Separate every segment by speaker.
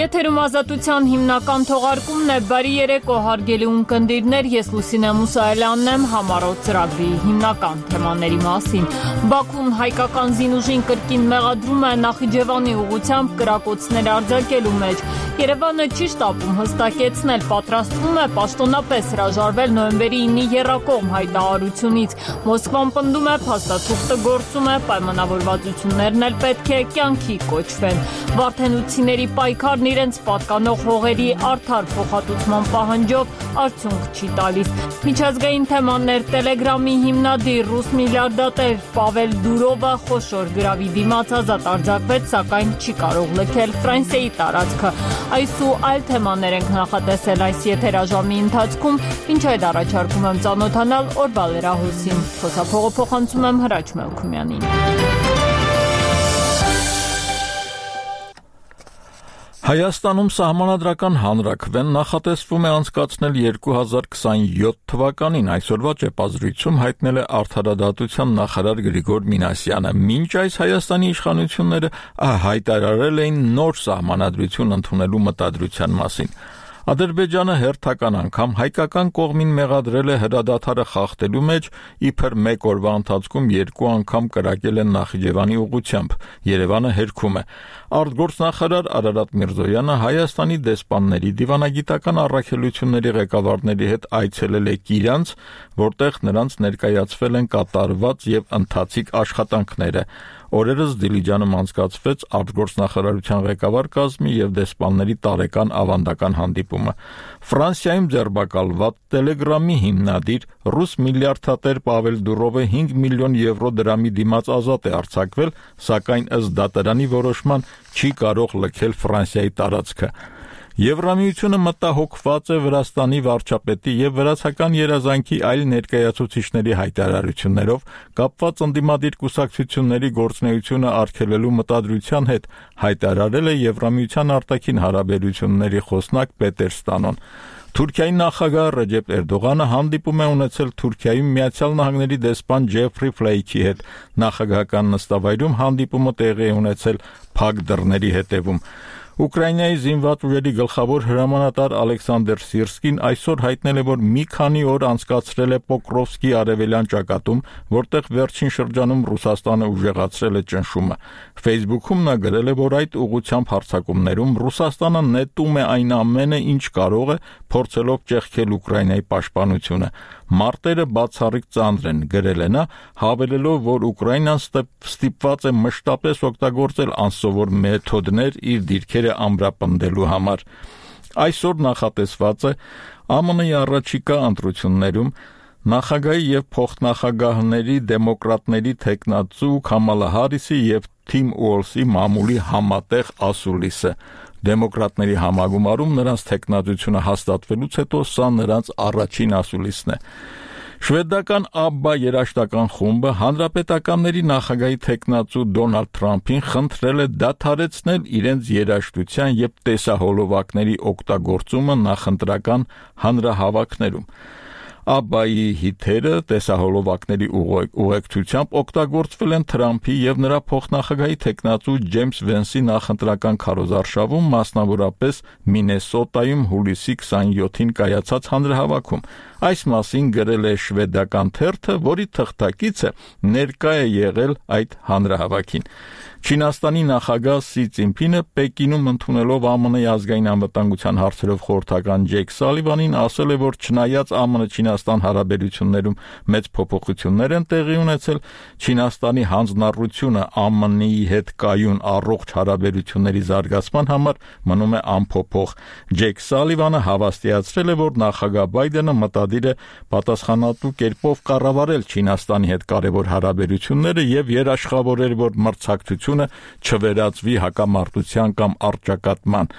Speaker 1: Եթերում ազատության հիմնական թողարկումն է, բարի երեկո հարգելի ունկնդիրներ, ես Լուսինե Մուսայելյանն եմ, համառոտ ծրագրի հիմնական թեմաների մասին։ Բաքուն հայկական զինուժին կրկին մեղադրում է Նախիջևանի ուղղությամբ կրակոցներ արձակելու մեջ։ Երևանը չի շտապում հստակեցնել, պատրաստվում է պաշտոնապես հրաժարվել նոյեմբերի 9-ի եռակողմ հայտարարությունից։ Մոսկվան պնդում է, փաստաթուղթը գործում է, պայմանավորվածություններն էլ պետք է կյանքի կոչվեն։ Վարդենուցիների պայքարն իրենց պատկանող հողերի արդար փոխհատուցման պահանջով արդյունք չի տալիս։ Միջազգային թեմաներ Տելեգրամի հիմնադիր ռուս միլիարդատեր Պավել Դուրովը խոշոր գրավի դիմաց ազատ արձակվեց, սակայն չի կարող լքել Ֆրանսիայի տարածքը։ Այս ու այլ թեմաներ ենք նախատեսել այս եթերաժամի ընթացքում, ինչ այդ առաջարկում եմ ծանոթանալ օրվա լրահոսին։ Խոսափողը փոխանցում եմ Հրաչ Մելքումյանին։
Speaker 2: Հայաստանում սահմանադրական հանրաքվեն նախատեսվում է անցկացնել 2027 թվականին, այսօրվա ճեպազրույցում հայտնել է Արդարադատության նախարար Գրիգոր Մինասյանը։ Մինչ այս Հայաստանի իշխանությունները հայտարարել էին նոր սահմանադրություն ընդունելու մտադրության մասին։ Ադրբեջանը հերթական անգամ հայկական կողմին մեղադրել է հրադադարը խախտելու մեջ, իբր մեկ օրվա ընթացքում 2 անգամ կրակել են Նախիջևանի ուղղությամբ։ Երևանը հերքում է։ Արտգործնախարար Արարատ Միրզոյանը Հայաստանի դեսպանների դիվանագիտական առաքելությունների ղեկավարների հետ այցելել է Կիրանց, որտեղ նրանց ներկայացվել են կատարված եւ ընթացիկ աշխատանքները։ Օրերս Դիլիջանում անցկացվեց արտգործնախարարության ղեկավար կազմի եւ դեսպանների տարեկան ավանդական հանդիպումը։ Ֆրանսիայում ձերբակալված Տելեգրամի հիմնադիր ռուս միլիարդատեր Պավել Դուրովը 5 միլիոն եվրո դրամի դիմաց ազատ է արձակվել, սակայն ըստ դատարանի որոշման չի կարող լքել Ֆրանսիայի տարածքը։ Եվրամիությունը մտահոգված է Վրաստանի վարչապետի եւ վրացական երազանքի այլ ներկայացուցիչների հայտարարություններով կապված ընդդիմադիր կուսակցությունների գործունեությունը արգելելու մտադրության հետ, հայտարարել է Եվրամիության արտաքին հարաբերությունների խոսնակ Պետեր Ստանոն։ Թուրքիայի նախագահ Ռեջեփ Էրդողանը հանդիպում է ունեցել Թուրքիայում Միացյալ Նահանգների դեսպան Ջեֆրի Ֆլեյքի հետ։ Նախագահական նստավայրում հանդիպումը տեղի է ունեցել փակ դռների հետևում։ Ուկրաինայի զինված ուժերի գլխավոր հրամանատար Ալեքսանդր Սիրսկին այսօր հայտնել է, որ մի քանի օր անցկացրել է Պոկրովսկի արևելյան ճակատում, որտեղ վերջին շրջանում Ռուսաստանը ուժեղացրել է ճնշումը։ Facebook-ում նա գրել է, որ այդ ուղղությամբ հարձակումներում Ռուսաստանը նետում է այն ամենը, ինչ կարող է, փորձելով ճեղքել Ուկրաինայի պաշտպանությունը։ Մարտերը բացառիկ ծանր են, գրել է նա, հավելելով, որ Ուկրաինան ստիպված է մշտապես օգտագործել անսովոր մեթոդներ իր դիրքերը ամրապնդելու համար։ Այսօր նախատեսված է ԱՄՆ-ի առաջիկա ընտրություններում նախագահի եւ փոխնախագահների դեմոկրատների թեկնածու Քամալա Հարիսի եւ Թիմ Ուոլսի մամուլի համատեղ ասուլիսը։ Դեմոկրատների համագումարում նրանց թեկնածությունը հաստատվելուց հետո սա նրանց առաջին ասուլիսն է։ Շվեդական ABBA երաժշտական խումբը հանրապետականների նախագահի թեկնածու Դոնալդ Թրամփին խնդրել է դադարեցնել իրենց երաժշտության եւ տեսահոլովակների օգտագործումը նախընտրական հանրահավաքներում։ ABBA-ի հիթերը տեսահոլովակների ուղեկցությամբ օգտագործվել են Թրամփի եւ նրա փոխնախագահի թեկնածու Ջեյմս Վենսի նախընտրական քարոզարշավում, մասնավորապես Մինեսոտայում հուլիսի 27-ին կայացած հանրահավաքում։ Այս մասին գրել է շվեդական թերթը, որի թղթակիցը ներկա է եղել այդ հանրահավաքին։ Չինաստանի նախագահ Սի Ցինփինը Պեկինում ընդունելով ԱՄՆ-ի ազգային անվտանգության հարցերով խորհրդական Ջեյք Սալիվանին ասել է, որ չնայած ԱՄՆ-Չինաստան հարաբերություններում մեծ փոփոխություններ են տեղի ունեցել, Չինաստանի հանձնառությունը ԱՄՆ-ի հետ կայուն առողջ հարաբերությունների զարգացման համար մնում է անփոփոխ։ Ջեյք Սալիվանը հավաստիացրել է, որ նախագահ Բայդենը մտադիր է պատասխանատու կերպով կառավարել Չինաստանի հետ կարևոր հարաբերությունները եւ երաշխավորել, որ մրցակցությունը չվերածվի հակամարտության կամ առճակատման։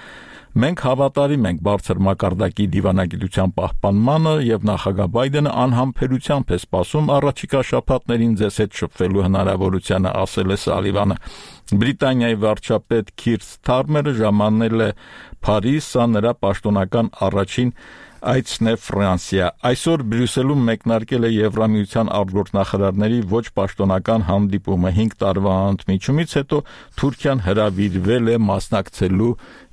Speaker 2: Մենք հավատարիմ ենք բարձր մակարդակի դիվանագիտության պահպանմանը եւ նախագահ Բայդենը անհամբերությամբ է սպասում առաջիկա շաբաթներին ձեզ հետ շփվելու հնարավորությանը, ասել է Սալիվանը։ Բրիտանիայի վարչապետ Քիր Սթարմերը ժամանել է Փարիզ, սա նրա պաշտոնական առաջին այցն է Ֆրանսիա։ Այսօր Բրյուսելում մեկնարկել է Եվրամիության արտգործնախարարների ոչ պաշտոնական հանդիպումը 5 տարվա ընդմիջումից հետո Թուրքիան հրավիրվել է մասնակցելու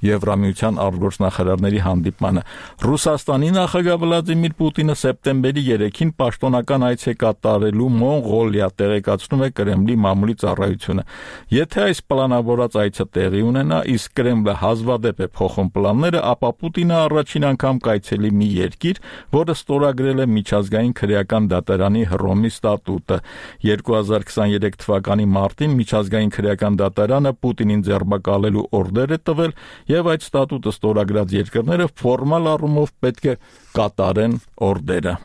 Speaker 2: Եվրամիության արտգործնախարարների հանդիպմանը։ Ռուսաստանի նախագահ Վլադիմիր Պուտինը սեպտեմբերի 3-ին պաշտոնական այց է կատարելու Մոնղոլիա, տեղեկացնում է Կրեմլի մամուլի ծառայությունը։ Եթե այս պլանավորած այցը տեղի ունենա, իսկ Կրեմլը հազվադեպ է փոխում պլանները, ապա Պուտինը առաջին անգամ կայցելի մի երկիր, որը ստորագրել է միջազգային քրեական դատարանի Հռոմի ստատուտը։ 2023 թվականի մարտին միջազգային քրեական դատարանը Պուտինին ձերբակալելու օրդեր է տվել, եւ այդ ստատուտը ստորագրած երկրները ֆորմալ առումով պետք է կատարեն օրդերը։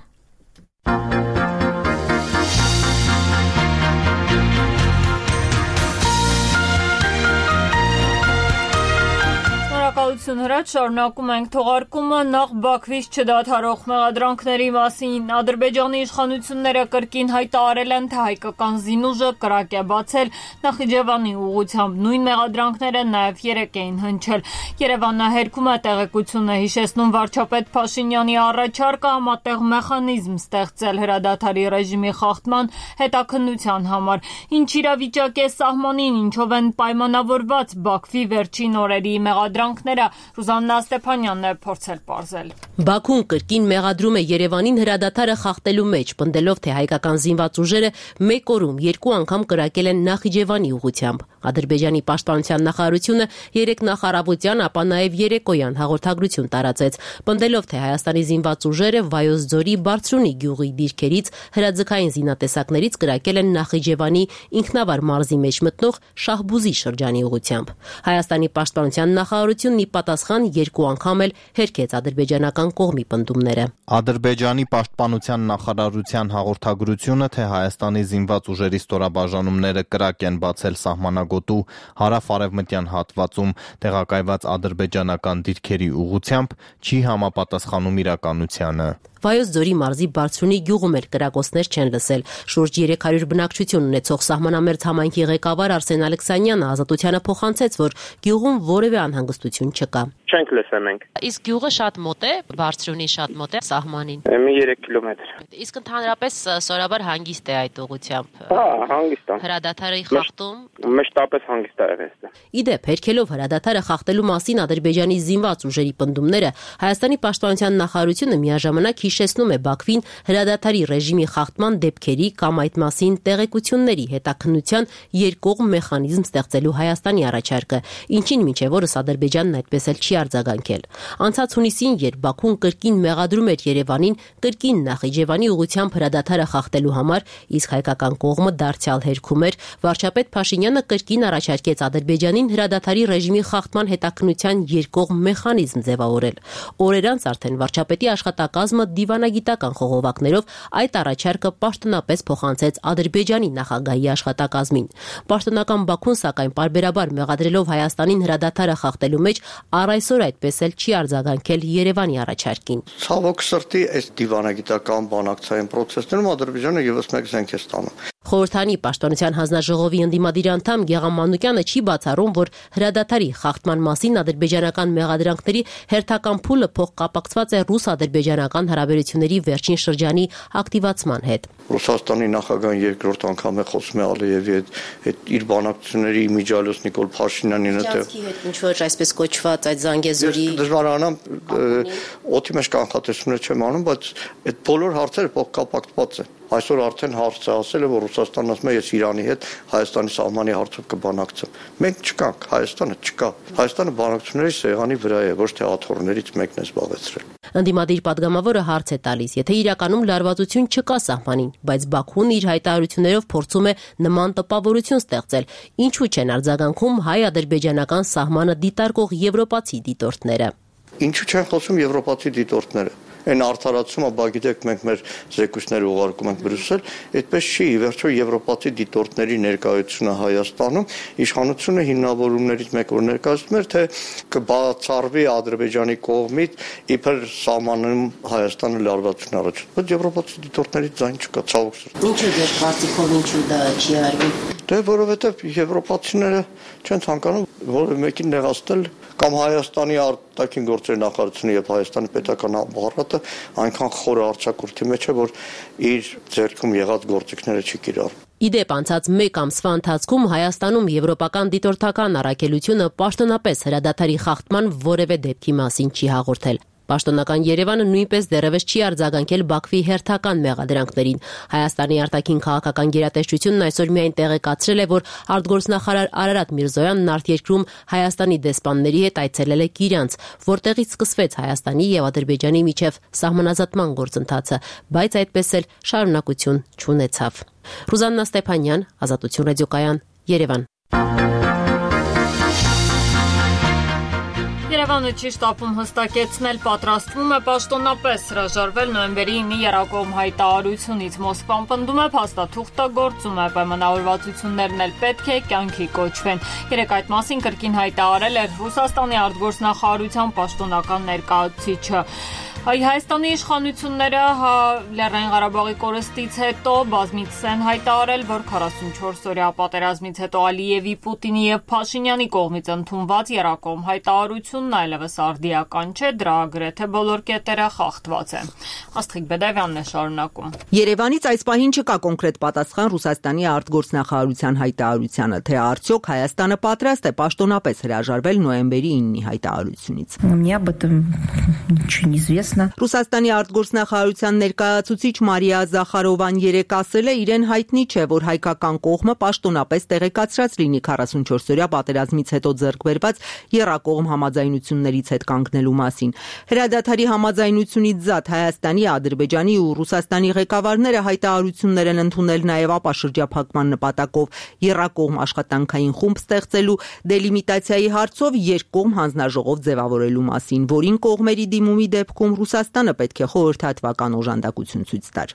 Speaker 1: Հրաչ շարունակում ենք թողարկումը նախ Բաքվից չդադարող մեղադրանքների մասին։ Ադրբեջանի իշխանությունները կրկին հայտարարել են, թե հայկական զինուժը կրակ է բացել Նախիջևանի ուղղությամբ։ Նույն մեղադրանքները նաև երեկ էին հնչել։ Երևանահերքում է տեղեկությունը հիշեցնում վարչապետ Փաշինյանի առաջարկը համատեղ մեխանիզմ ստեղծել հրադադարի ռեժիմի խախտման հետաքննության համար։ Ինչ իրավիճակ է սահմանին, ինչով են պայմանավորված Բաքվի վերջին օրերի մեղադրանքները, Ռուզաննա Ստեփանյանն է փորձել պարզել։
Speaker 3: Բաքուն կրկին մեղադրում է Երևանին հրադադարը խախտելու մեջ, պնդելով, թե հայկական զինված ուժերը մեկ օրում 2 անգամ կրակել են Նախիջևանի ուղղությամբ։ Ադրբեջանի պաշտպանության նախարարությունը երեկ նախարարության, ապա նաև երեկոյան հաղորդագրություն տարածեց, պնդելով, թե Հայաստանի զինված ուժերը Վայոց ձորի Բարձրունի գյուղի դիրքերից հրաձգային զինատեսակներից կրակել են Նախիջևանի ինքնավար մարզի մեջ մտնող Շահբուզի շրջանի ուղղությամբ։ Հայաստանի պաշտպանության նախարարությունն ի պատասխան 2 անգամ էլ հերքեց ադրբեջանական կողմի պնդումները։
Speaker 4: Ադրբեջանի պաշտպանության նախարարության հաղորդագրությունը, թե Հայաստանի զինված ուժերի ստորաբաժանումները կրակ են բացել սահմանագոտու հարավ-արևմտյան հատվածում տեղակայված ադրբեջանական դիրքերի ուղղությամբ, չի համապատասխանում իրականությանը։
Speaker 3: Վայոց ձորի մարզի Բարձրունի գյուղում էլ կրակոցներ չեն լսել։ Շուրջ 300 բնակչություն ունեցող սահմանամերձ համայնքի ղեկավար Արսեն Ալեքսանյանը Ազատությանը փոխանցեց, որ գյուղում որևէ անհանգստություն չկա։
Speaker 5: Չենք լսել մենք։
Speaker 3: Իսկ գյուղը շատ մոտ է, Բարձրունի շատ մոտ է սահմանին։
Speaker 5: Մի 3 կիլոմետր։
Speaker 3: Իսկ ընդհանրապես սովորաբար հանգիստ է այդ ուղղությամբ։
Speaker 5: Հա, հանգիստ է։
Speaker 3: Հրադադարի խախտում
Speaker 5: մշտապես հանգիստ է եղել։
Speaker 3: Իդեպ, հերքելով հրադադարը խախտելու մասին Ադրբեջանի զինված ուժերի պնդումները, Հայաստանի պաշտպանության նախարարությունը միաժամանակ հիշեցնում է Բաքվին հրադադարի ռեժիմի խախտման դեպքերի կամ այդ մասին տեղեկությունների հետաքննության երկկողմ մեխանիզմ ստեղծելու Հայաստանի առաջարկը, ինչին մինչև օրս Ադրբեջանն այդպես էլ չի արձագանքել։ Անցած հունիսին, երբ Բաքուն կրկին մեղադրում էր Երևանին կրկին Նախիջևանի ուղղությամբ հրադադարը խախտելու համար, իսկ հայկական կողմը դարձյալ հերքում էր, վարչապետ Փաշինյանը կրկին առաջարկեց Ադրբեջանին հրադադարի ռեժիմի խախտման հետաքննության երկկողմ մեխանիզմ ձևավորել։ Օրեր անց արդեն վարչապետի աշխատակազմը դիվանագիտական խողովակներով այդ առաջարկը պաշտոնապես փոխանցեց Ադրբեջանի նախագահի աշխատակազմին։ Պաշտոնական Բաքուն, սակայն, պարբերաբար մեղադրելով Հայաստանին հրադադարը խախտելու մեջ, առ այսօր այդպես էլ չի արձագանքել Երևանի առաջարկին։
Speaker 6: Ցավոք սրտի, այս դիվանագիտական բանակցային process-ներում Ադրբեջանը եւս մեկ զենք է ստանում։
Speaker 3: Խորհրդանի պաշտպանության հանձնաժողովի ընդդիմադիր անդամ Գեգամ Մանուկյանը չի բացառում, որ հրադադարի խախտման մասին ադրբեջանական մեղադրանքների հերթական փուլը փոխկապակցված է ռուս-ադրբեջանական հարաբերությունների վերջին շրջանի ակտիվացման հետ։
Speaker 6: Ռուսաստանի նախագահան երկրորդ անգամ է խոսում է Ալիևի հետ իր բանակցությունների իմիջիալոս Նիկոլ Փաշինյանին հետ։
Speaker 3: Ինչ որ այսպես կոչված այդ Զանգեզուրի
Speaker 6: դժվարանամ օդի մեջ կանխատեսումներ չեմ անում, բայց այդ բոլոր հարցերը փոխկապակցված են։ Այսօր արդեն հարցը ասել է, որ Ռուսաստանն ասում է, ես Իրանի հետ Հայաստանի սահմանի հարցով կբանակցեմ։ Մենք չկանք, Հայաստանը չկա։ Հայաստանը բանակցությունների սեղանի վրա է, ոչ թե աթոռներից մեկն է զբաղեցրել։
Speaker 3: Ընդդիմադիր падգամավորը հարց է տալիս, եթե իրականում լարվածություն չկա սահմանին, բայց Բաքուն իր հայտարարություններով փորձում է նման տպավորություն ստեղծել, ինչու չեն արձագանքում հայ-ադրբեջանական սահմանը դիտարկող եվրոպացի դիտորդները։
Speaker 6: Ինչու չեն խոսում եվրոպացի դիտորդները։ Այն արդարացումը, բա գիտեք, մենք մեր զեկույցները ուղարկում ենք Բրյուսել, այդպես չի, ի վերջո եվրոպացի դիտորդների ներկայությունը Հայաստանում իշխանությունը հիմնավորումներից մեկ որ ներկայացնում էր, թե կբացառվի Ադրբեջանի կողմից իբր սահմանում Հայաստանը լարվածություն առաջ։ Բայց եվրոպացի դիտորդներից ձայն չկա, ցավոք սրտի։
Speaker 3: Ինչու դեր կարծիքով ինչու դա չի արվում։
Speaker 6: Դե որովհետև եվրոպացիները չեն ցանկանում որևէ մեկին նեղացնել կամ Հայաստանի արտաքին գործերի նախարարությունը եւ Հայաստանի պետական ապարատը այնքան խորը արձակուրդի մեջ է, որ իր ձեռքում եղած գործիքները չի կիրառում։
Speaker 3: Իդեպ անցած 1 ամսվա ընթացքում Հայաստանում եվրոպական դիտորդական առաքելությունը պաշտոնապես հրադադարի խախտման որևէ դեպքի մասին չի հաղորդել։ Պաշտոնական Երևանը նույնպես դեռևս չի արձագանքել Բաքվի հերթական մեղադրանքներին։ Հայաստանի արտաքին քաղաքական գերատեսչությունն այսօր միայն տեղեկացրել է, որ արտգործնախարար Արարատ Միրզոյանն արտերկրում Հայաստանի դեսպանների հետ այցելել է Կիրյանց, որտեղից սկսվեց Հայաստանի եւ Ադրբեջանի միջև սահմանազատման գործընթացը, բայց այդպես էլ շարունակություն չունեցավ։ Ռուզաննա Ստեփանյան, Ազատություն ռադիոկայան, Երևան։
Speaker 1: Երևանը չի շտապում հստակեցնել, պատրաստվում է պաշտոնապես հրաժարվել նոյեմբերի 9-ի Երակոմ հայտարարությունից։ Մոսկվան պնդում է, փաստաթուղթը գործում է, պայմանավորվածություններն էլ պետք է կյանքի կոչվեն։ Երեկ այդ մասին կրկին հայտարարել էր Ռուսաստանի արտգործնախարարության պաշտոնական ներկայացուցիչը։ Հայաստանի իշխանությունները Լեռնային Ղարաբաղի կորստից հետո բազմիցս են հայտարարել, որ 44-օրյա պատերազմից հետո Ալիևի, Պուտինի եւ Փաշինյանի կողմից ընդունված Երակոմ հայտարարությունն այլևս արդիական չէ, դրա գրեթե բոլոր կետերը խախտված են։ Աստղիկ Բեդավյանն է շարունակում։
Speaker 7: Երևանից այս պահին չկա կոնկրետ պատասխան Ռուսաստանի արտգործնախարարության հայտարարությանը, թե արդյոք Հայաստանը պատրաստ է պաշտոնապես հրաժարվել նոյեմբերի 9-ի հայտարարությունից։ Ռուսաստանի արտգործնախարարության ներկայացուցիչ Մարիա Զախարովան երեկ ասել է, իրեն հայտնի չէ, որ հայկական կողմը պաշտոնապես տեղեկացրած լինի 44-օրյա պատերազմից հետո ձեռք բերված եռակողմ համաձայնություններից հետ կանգնելու մասին։ Հրադադարի համաձայնությունից զատ Հայաստանի, Ադրբեջանի ու Ռուսաստանի ղեկավարները հայտարարություններ են ընդունել նաև ապաշրջափակման նպատակով եռակողմ աշխատանքային խումբ ստեղծելու, դելիմիտացիայի հարցով երկկողմ հանձնաժողով ձևավորելու մասին, որին կողմերի դիմումի դեպքում Ռուսաստանը պետք է խորհրդատվական օժանդակություն ցույց տար։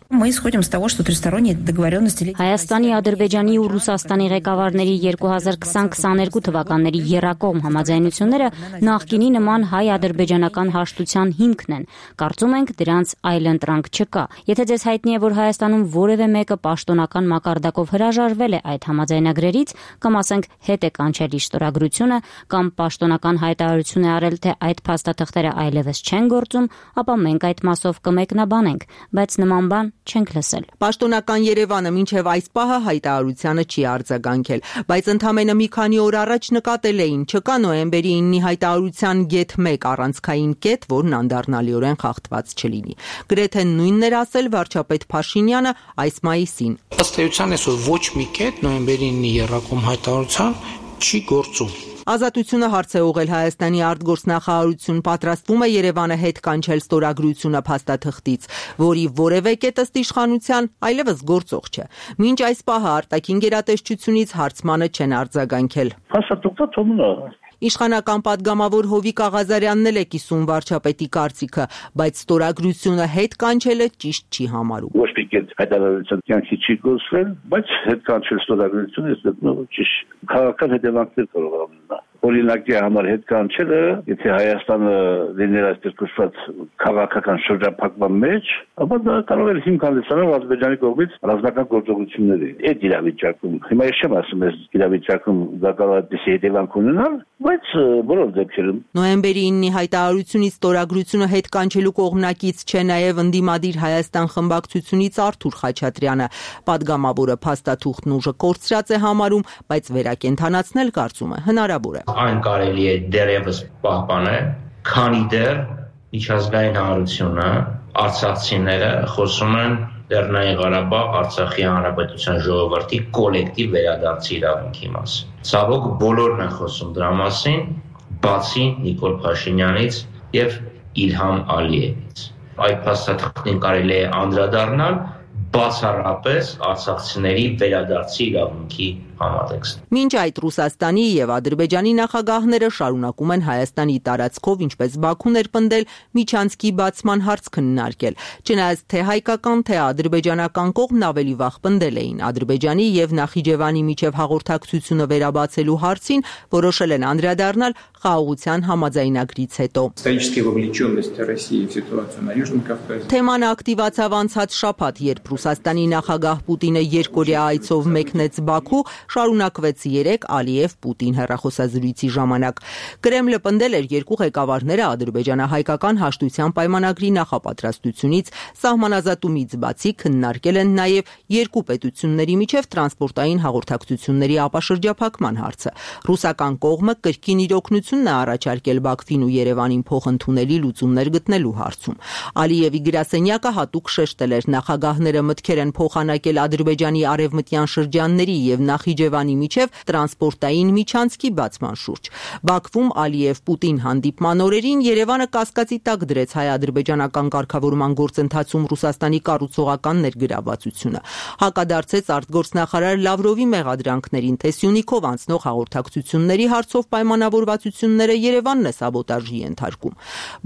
Speaker 8: Հայաստանի, Ադրբեջանի ու Ռուսաստանի ղեկավարների 2020-22 թվականների եռակողմ համաձայնությունները նախկինի նման հայ-ադրբեջանական հաշտության հիմքն են։ Կարծում ենք դրանց այլընտրանք չկա։ Եթե ձեզ հայտնի է, որ Հայաստանում որևէ մեկը պաշտոնական մակարդակով հրաժարվել է այդ համաձայնագրերից, կամ ասենք հետ է կանչել իր ստորագրությունը, կամ պաշտոնական հայտարարություն է արել, թե այդ փաստաթղթերը այլևս չեն գործում, ապա մենք այդ մասով կմեկնաբանենք, բայց նման բան չենք լսել։
Speaker 7: Պաշտոնական Երևանը մինչև այս պահը հայտարարությանը չի արձագանքել, բայց ընդամենը մի քանի օր առաջ նկատել էին, չկա նոյեմբերի 9-ի հայտարարության գեթ 1 առանցքային կետ, որն անդառնալիորեն խախտված չլինի։ Գրեթե նույնն էր ասել վարչապետ Փաշինյանը այս մայիսին։
Speaker 9: Ըստ էության այսօր ոչ մի կետ նոյեմբերի 9-ի եռակողմ հայտարարության չի գործում։
Speaker 7: Ազատությունը հարց է ուղղել Հայաստանի արտգործնախարարություն, պատրաստվում է Երևանը հետ կանչել ստորագրությունը փաստաթղթից, որի որևէ կետ ըստ իշխանության այլևս գործող չէ։ Մինչ այս պահը արտաքին գերատեսչությունից հարցմանը չեն արձագանքել։
Speaker 10: Փաստաթուղթը թողնում է։
Speaker 7: Իշխանական պատգամավոր Հովիկ Աղազարյանն էլ է կիսում վարչապետի կարծիքը, բայց ստորագրությունը հետ կանչելը ճիշտ չի համարում։
Speaker 10: Ոչ մի կետ հայտարարության կյանքի չի գործվել, բայց հետ կանչել ստորագրությունը ես գտնում ճիշտ քաղաքական հետևանքներ կարող է ունենալ։ Օրինակի համար հետ կանչելը, եթե Հայաստանը լիներ այստեղ կոչված քաղաքական շրջափակման մեջ, ապա դա կարող է հիմք հանդիսանալ Ադրբեջանի կողմից ռազմական գործողությունների։ Այդ իրավիճակում, հիմա ես չեմ ասում, այս իրավիճակում դա կարող է դեպի հետևանք ունենալ, բայց բոլոր դեպքերում։
Speaker 7: Նոյեմբերի 9-ի հայտարարությունից ստորագրությունը հետ կանչելու կողմնակից չէ նաև ընդդիմադիր Հայաստան խմբակցությունից Արթուր Խաչատրյանը։ Պատգամավորը փաստաթուղթն ուժը կորցրած է համարում, բայց վերակենդանացնել կարծում է հնարավոր է։
Speaker 11: Այն կարելի է դեռևս պահպանել, քանի դեռ միջազգային հանրությունը, արցախցիները խոսում են Լեռնային Ղարաբաղ Արցախի Հանրապետության ժողովրդի կոլեկտիվ վերադարձի իրավունքի մասին։ Ցավոք բոլորն են խոսում դրա մասին, բացի Նիկոլ Փաշինյանից եւ Իլհամ Ալիևից։ Այդ փաստաթղթին կարելի է անդրադառնալ բացառապես արցախցիների վերադարձի իրավունքի համատեքստ։
Speaker 7: Մինչ այդ Ռուսաստանի եւ Ադրբեջանի նախագահները շարունակում են Հայաստանի տարածքով, ինչպես Բաքուն էր պնդել, միջանցքի բացման հարց քննարկել։ Չնայած թե հայկական, թե ադրբեջանական կողմն ավելի վաղ պնդել էին Ադրբեջանի եւ Նախիջևանի միջև հաղորդակցությունը վերաբացելու հարցին, որոշել են անդրադառնալ խաղաղության համաձայնագրից հետո։ Թեման ակտիվացավ անցած շաբաթ, երբ Ռուսաստանի նախագահ Պուտինը երկօրյա այցով մեկնեց Բաքու, շարունակվեց 3 Ալիև-Պուտին հեռախոսազրույցի ժամանակ։ Կրեմլը պնդել էր երկու ղեկավարները ադրբեջանա-հայկական հաշտության պայմանագրի նախապատրաստությունից սահմանազատումից բացի քննարկել են նաև երկու պետությունների միջև տրանսպորտային հաղորդակցությունների ապաշրջափակման հարցը։ Ռուսական կողմը կրկին իր օգնությունն է առաջարկել Բաքվին ու Երևանին փոխընդունելի լուծումներ գտնելու հարցում։ Ալիևի գրասենյակը հատուկ շեշտել էր նախագահները մտքեր են փոխանակել Ադրբեջանի արևմտյան շրջանների եւ Նախիջևանի միջև տրանսպորտային միջանցքի բացման շուրջ։ Բաքվում Ալիև-Պուտին հանդիպման օրերին Երևանը կասկածի տակ դրեց հայ-ադրբեջանական կարգավորման գործընթացում Ռուսաստանի կառուցողական ներգրավվածությունը։ Հակադարձեց արտգործնախարար Լավրովի մեղադրանքներին, թե Սյունիքով անցնող հաղորդակցությունների հարցով պայմանավորվածությունները Երևանն է սաբոտաժի ենթարկում։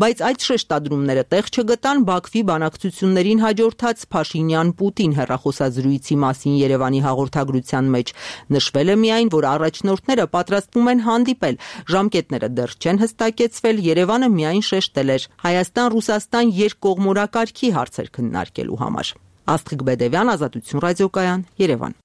Speaker 7: Բայց այդ շեշտադրումները տեղ չգտան Բաքվի բանակցություններին հաջորդած Փաշինյան-Պուտին հեռախոսազրույցի մասին Երևանի հաղորդագրության մեջ։ Նշվել է միայն, որ առաջնորդները պատրաստվում են հանդիպել, ժամկետները դեռ չեն հստակեցվել, Երևանը միայն շեշտել էր Հայաստան-Ռուսաստան երկկողմորակարգի հարցեր քննարկելու համար։ Աստղիկ Բեդևյան, Ազատություն ռադիոկայան, Երևան։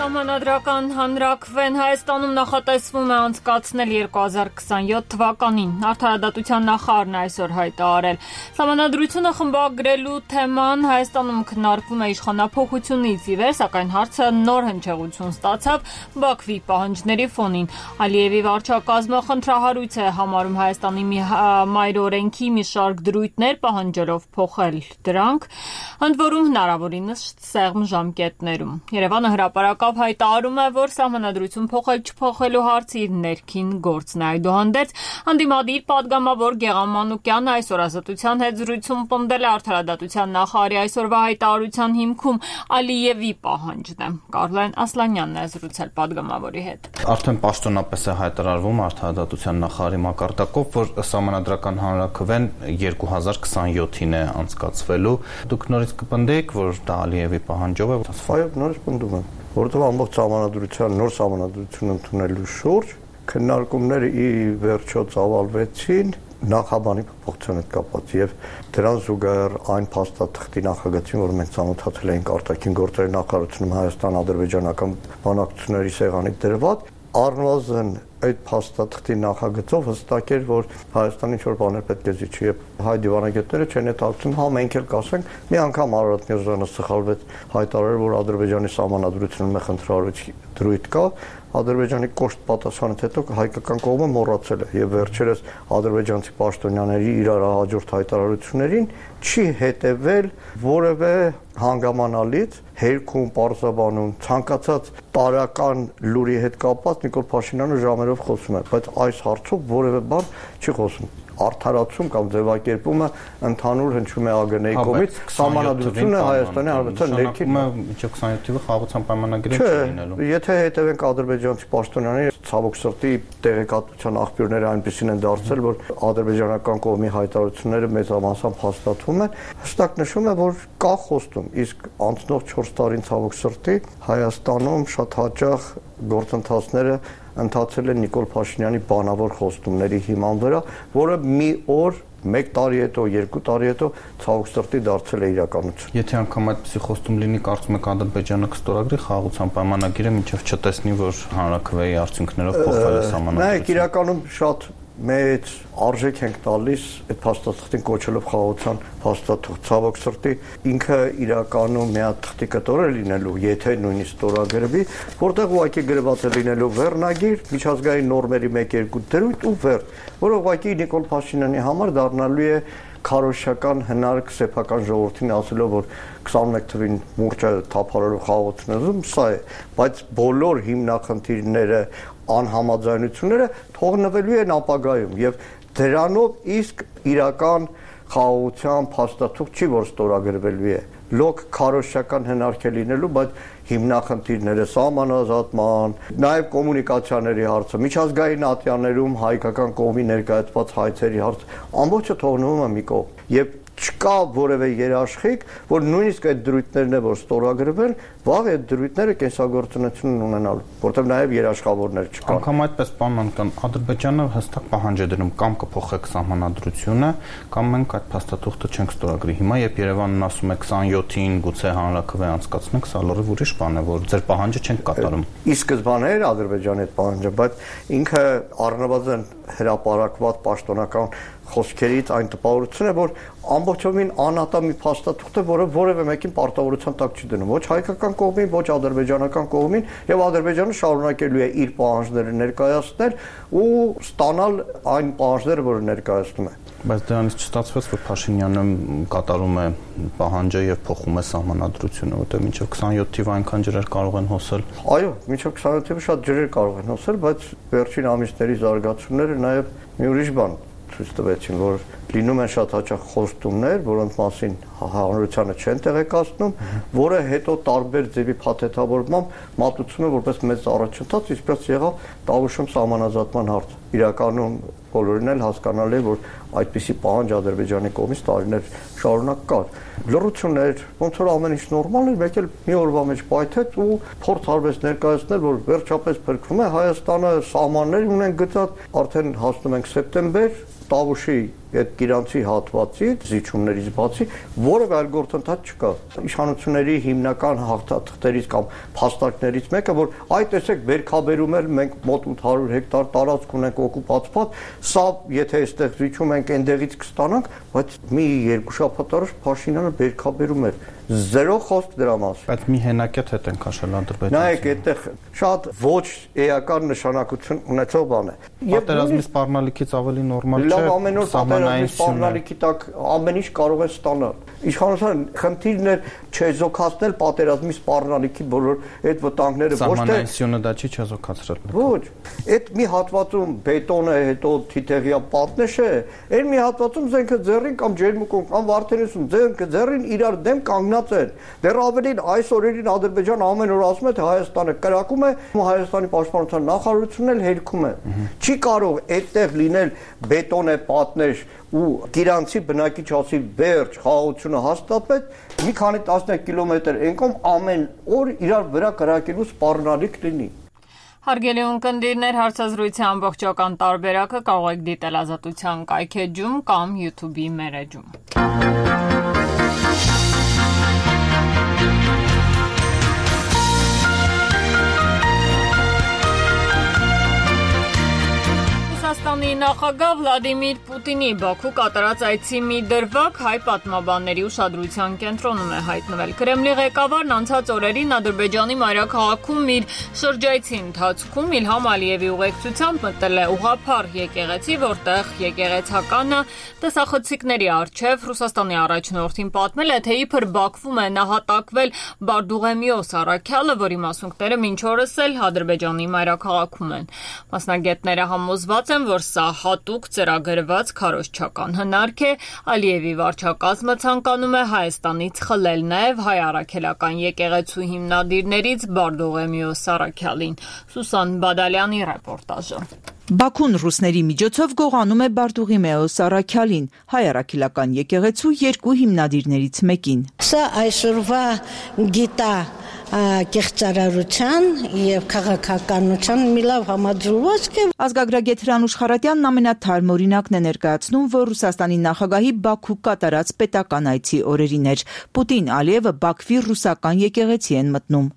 Speaker 1: Սահմանադրական հանրաքվեն Հայաստանում նախատեսվում է անցկացնել 2027 թվականին։ Արդարադատության նախարարն այսօր հայտարարել։ Սահմանադրությունը խմբագրելու թեման Հայաստանում քննարկվում է իշխանափոխությունից ի վեր, սակայն հարցը նոր հնչեղություն ստացավ Բաքվի պահանջների ֆոնին։ Ալիևի վարչակազմը խնդրահարույց է համարում Հայաստանի մայրօրենքի մի շարք դրույթներ, պահանջելով փոխել դրանք, ընդ որում հնարավորինս սեղմ ժամկետներում։ Երևանը հրապարակավ հայտարարում է, որ սահմանադրություն փոխել-չփոխելու հարցը իր ներքին գործն է։ Այդուհանդերձ հանդիմադիր падգամավոր Գեղամ Մանուկյանը այսօր Ազատության հետ զրույցում պնդել է արդարադատության նախարարի այսօրվա հայտարարության հիմքում Ալիևի պահանջն է։ Կարլեն Ասլանյանն է զրուցել падգամավորի հետ։
Speaker 4: Արդեն պաշտոնապես է հայտարարվում արդարադատության նախարարի մակարդակով, որ սահմանադրական հանրաքվեն 2027-ին է անցկացվելու։ Դուք նորից կպնդեք, որ դա Ալիևի պահանջով է։
Speaker 6: Այո, նորից պնդում եմ, որովհետև ամբողջ սահմանադրության նոր սահմանադրություն ընդունելու շուրջ քննարկումները ի վերջո ծավալվեցին նախաբանի փոփոխության հետ կապված եւ դրան զուգահեռ այն փաստաթղթի նախագծին, որ մենք ծանոթացել էինք արտաքին գործերի նախարարությունում Հայաստան-ադրբեջանական բանակցությունների սեղանի դրված, առնվազն այդ փաստաթղթի նախագծով հստակ էր, որ Հայաստանը ինչ-որ բաներ պետք է զիջի եւ հայ դիվանագետները չեն հետաքրքրում, հա մենք էլ կասենք, մի անգամ Արարատ Միրզոյանը սխալվեց հայտարարել, որ Ադրբեջանի սահմանադրությունում է խնդրահարույց դրույթ կա, Ադրբեջանի կոշտ պատասխանից հետո հայկական կողմը մոռացել է եւ վերջերս ադրբեջանցի պաշտոնյաների իրար հաջորդ հայտարարություններին չի հետևել որևէ հանգամանալից հերքում պարզաբանում ցանկացած տարական լուրի հետ կապված Նիկոլ Փաշինյանը ժամերով խոսում է, բայց այս հարցով որևէ բան չի խոսում։ Արդարացում կամ ձևակերպումը ընդհանուր հնչում է ԱԳՆ-ի կողմից, սահմանադրությունը Հայաստանի Հանրապետության ներքին
Speaker 4: մինչև 27-ը խաղաղության պայմանագրի չի լինելու։
Speaker 6: Եթե հետևենք ադրբեջանցի պաշտոնյաների ցավոք սրտի տեղեկատվության աղբյուրները այնպեսին են դարձել, որ ադրբեջանական կողմի հայտարարությունները մեծամասամբ հաստատվում են, հստակ նշում է, որ կա խոստում, իսկ անցնող 4 տարին ցավոք սրտի Հայաստանում շատ հաճախ գործընթացները ընթացել են Նիկոլ Փաշինյանի բանավոր խոստումների հիման վրա, որը մի օր 1 տարի հետո, 2 տարի հետո ցավոք սրտի դարձել է իրականություն։
Speaker 4: Եթե անգամ այդպիսի խոստում լինի, կարծում եք Ադրբեջանը կստորագրի խաղաղության պայմանագիրը, մինչև չտեսնի, որ հանրաքվեի արդյունքներով փոխվել է սահմանադրությունը։
Speaker 6: Նայեք, իրականում շատ մեծ արժեք ենք տալիս այդ փաստաթղթին կոչելով խաղաղության փաստաթղթ։ Ցավոք սրտի ինքը իրականում մի հատ թղթի կտոր է լինելու, եթե նույնիսկ ստորագրվի, որտեղ ուղղակի գրված է լինելու վերնագիր, միջազգային նորմերի 1-2 դրույթ ու վերջ, որը ուղղակի Նիկոլ Փաշինյանի համար դառնալու է քարոզչական հնարք սեփական ժողովրդին ասելով, որ 21 թվին մուրճը թափարելով խաղաղությունում սա է, բայց բոլոր հիմնախնդիրները, անհամաձայնությունները թողնվելու են ապագայում եւ դրանով իսկ իրական խաղաղության փաստաթուղթ չի, որ ստորագրվելու է։ Լոկ քարոզչական հնարք է լինելու, բայց հիմնախնդիրները սահմանազատման, նաև կոմունիկացիաների հարցը, միջազգային ատյաններում հայկական կողմի ներկայացված հայցերի հարցը ամբողջը թողնվում է մի կողմ։ Եվ չկա որևէ երաշխիք, որ նույնիսկ այդ դրույթներն է, որ ստորագրվել, վաղ այդ դրույթները կենսագործունություն ունենալու, որտեղ նաև երաշխավորներ չկան։
Speaker 4: Անկամ այդպես պայմանական Ադրբեջանը հստակ պահանջ է դնում կամ կփոխեք սահմանադրությունը, կամ մենք այդ փաստաթուղթը չենք ստորագրի։ Հիմա երբ Երևանն ասում է 27-ին գուցե հանրաքվե անցկացնենք, սա լրիվ ուրիշ բան է, որ ձեր պահանջը չենք կատարում։
Speaker 6: Ի սկզբանե էր Ադրբեջանի այդ պահանջը, բայց ինքը առնվազն հրապարակված պաշտոնական խոսքերից այն տպավորություն է, որ ամբողջովին անհատամի փաստաթուղթ է, որը որևէ մեկին պարտավորության տակ չի դնում, ոչ հայկական կողմին, ոչ ադրբեջանական կողմին, եւ Ադրբեջանը շարունակելու է իր պահանջները ներկայացնել ու ստանալ այն պահանջները, որը ներկայացնում է։
Speaker 4: Բայց դրանից չստացվեց, որ Փաշինյանը կատարում է պահանջը եւ փոխում է սահմանադրությունը, որտեղ մինչեւ 27 թիվ այնքան ջրեր կարող են հոսել։
Speaker 6: Այո, մինչեւ 27 թիվը շատ ջրեր կարող են հոսել, բայց վերջին ամիսների զարգացումները նաեւ մի ուրիշ բան ցույց տվեցին, որ լինում են շատ հաճախ խոստումներ, որոնց մասին հանրությանը չեն տեղեկացնում, որը հետո տարբեր ձևի փաթեթավորմամբ մատուցում է որպես մեծ առաջընթաց, ինչպես եղավ Տավուշում սահմանազատման հարցը։ Իրականում բոլորին էլ հասկանալի է, որ այդպիսի պահանջ Ադրբեջանի կողմից տարիներ շարունակ կար։ Լռություններ, ոնց որ ամեն ինչ նորմալ էր, մեկ էլ մի օրվա մեջ պայթեց ու փորձ արվեց ներկայացնել, որ վերջապես փրկվում է Հայաստանը, սահմաններ ունեն գծած, արդեն հասնում ենք սեպտեմբեր, Տավուշի այդ գիրանցի հատվածից, զիջումներից բացի, որևէ այլ գործընթաց չկա։ Իշխանությունների հիմնական հաղթաթղթերից կամ փաստարկներից մեկը, որ այ տեսեք, բերքաբերում էլ մենք մոտ 800 հեկտար տարածք ունենք օկուպացված, սա եթե այստեղ զիջում ենք, այնտեղից կստանանք, բայց մի երկու շաբաթ առաջ Փաշինյանը բերքաբերում էր։ Զերո խոսք դրա մասին։
Speaker 4: Բայց մի հենակետ հետ են քաշել Ադրբեջանը։
Speaker 6: Նայեք, այդտեղ շատ ոչ էական նշանակություն ունեցող բան է։
Speaker 4: Պատերազմի սպառնալիքից ավելի նորմալ չէ։
Speaker 6: Լավ, ամեն օր պատերազմի սպառնալիքի տակ ամեն ինչ կարող է ստանալ։ Իշխանության խնդիրն է չեզոքացնել պատերազմի սպառնալիքի բոլոր այդ վտանգները, ոչ թե
Speaker 4: սահմանայինությունը դա չի չեզոքացրել։
Speaker 6: Ոչ, այդ մի հատվածում բետոնը, հետո թիթեղյա պատնեշ է, այն մի հատվածում զենքը ձեռին կամ ջերմուկում կամ Վարդենիսում զենքը ձեռին իրար դեմ կանգնած են։ Դեռ ավելին այս օրերին Ադրբեջանը ամեն օր ասում է, թե Հայաստանը կրակում է, Հայաստանի պաշտպանության նախարարությունն էլ հերքում է։ Չի կարող այդտեղ լինել բետոնե պատնեշ ու գիրանցի բնակիչ հասի վերջ խաղաղությունը հաստատվեց մի քանի տասնյակ կիլոմետր ենկում ամեն օր իրար վրա կրակելու սպառնալիք լինի։
Speaker 1: Հարգելի ունկնդիրներ, հարցազրույցի ամբողջական տարբերակը կարող եք դիտել Ազատության կայքեջում կամ YouTube-ի մեր էջում։ Ռուսաստանի նախագահ Վլադիմիր Պուտինի Բաքու կատարած այցի մի դրվագ հայ պատմաբանների ուշադրության կենտրոնում է հայտնվել։ Կրեմլի ղեկավարն անցած օրերին Ադրբեջանի մայրաքաղաքում իր շրջայցի ընթացքում Իլհամ Ալիևի ուղեկցությամբ մտել է ուղղափառ եկեղեցի, որտեղ եկեղեցականը տեսախցիկների առջև Ռուսաստանի առաջնորդին պատմել է, թե իբր Բաքվում է նահատակվել Բարդուղեմիոս առաքյալը, որի մասունքները մինչ օրս էլ Ադրբեջանի մայրաքաղաքում են։ Մասնագետները համոզված են, որ սա հատուկ ծրագրված քարոզչական հնարք է, Ալիևի վարչակազմը ցանկանում է Հայաստանից խլել նաև հայ առաքելական եկեղեցու հիմնադիրներից Բարդուղեմիոս առաքյալին։ Սուսան Բադալյանի ռեպորտաժը։
Speaker 7: Բաքուն ռուսների միջոցով գողանում է Բարդուղիմեոս առաքյալին, հայ առաքելական եկեղեցու երկու հիմնադիրներից մեկին։
Speaker 12: Սա այսօրվա գիտա կեղծարարության եւ քաղաքականության մի լավ համաձուլվածք է։
Speaker 7: Ազգագրագետ Հրանուշ Խարատյանն ամենաթարմ օրինակն է ներկայացնում, որ Ռուսաստանի նախագահի Բաքու կատարած պետական այցի օրերին էր։ Պուտին-Ալիևը Բաքվի ռուսական եկեղեցի են մտնում։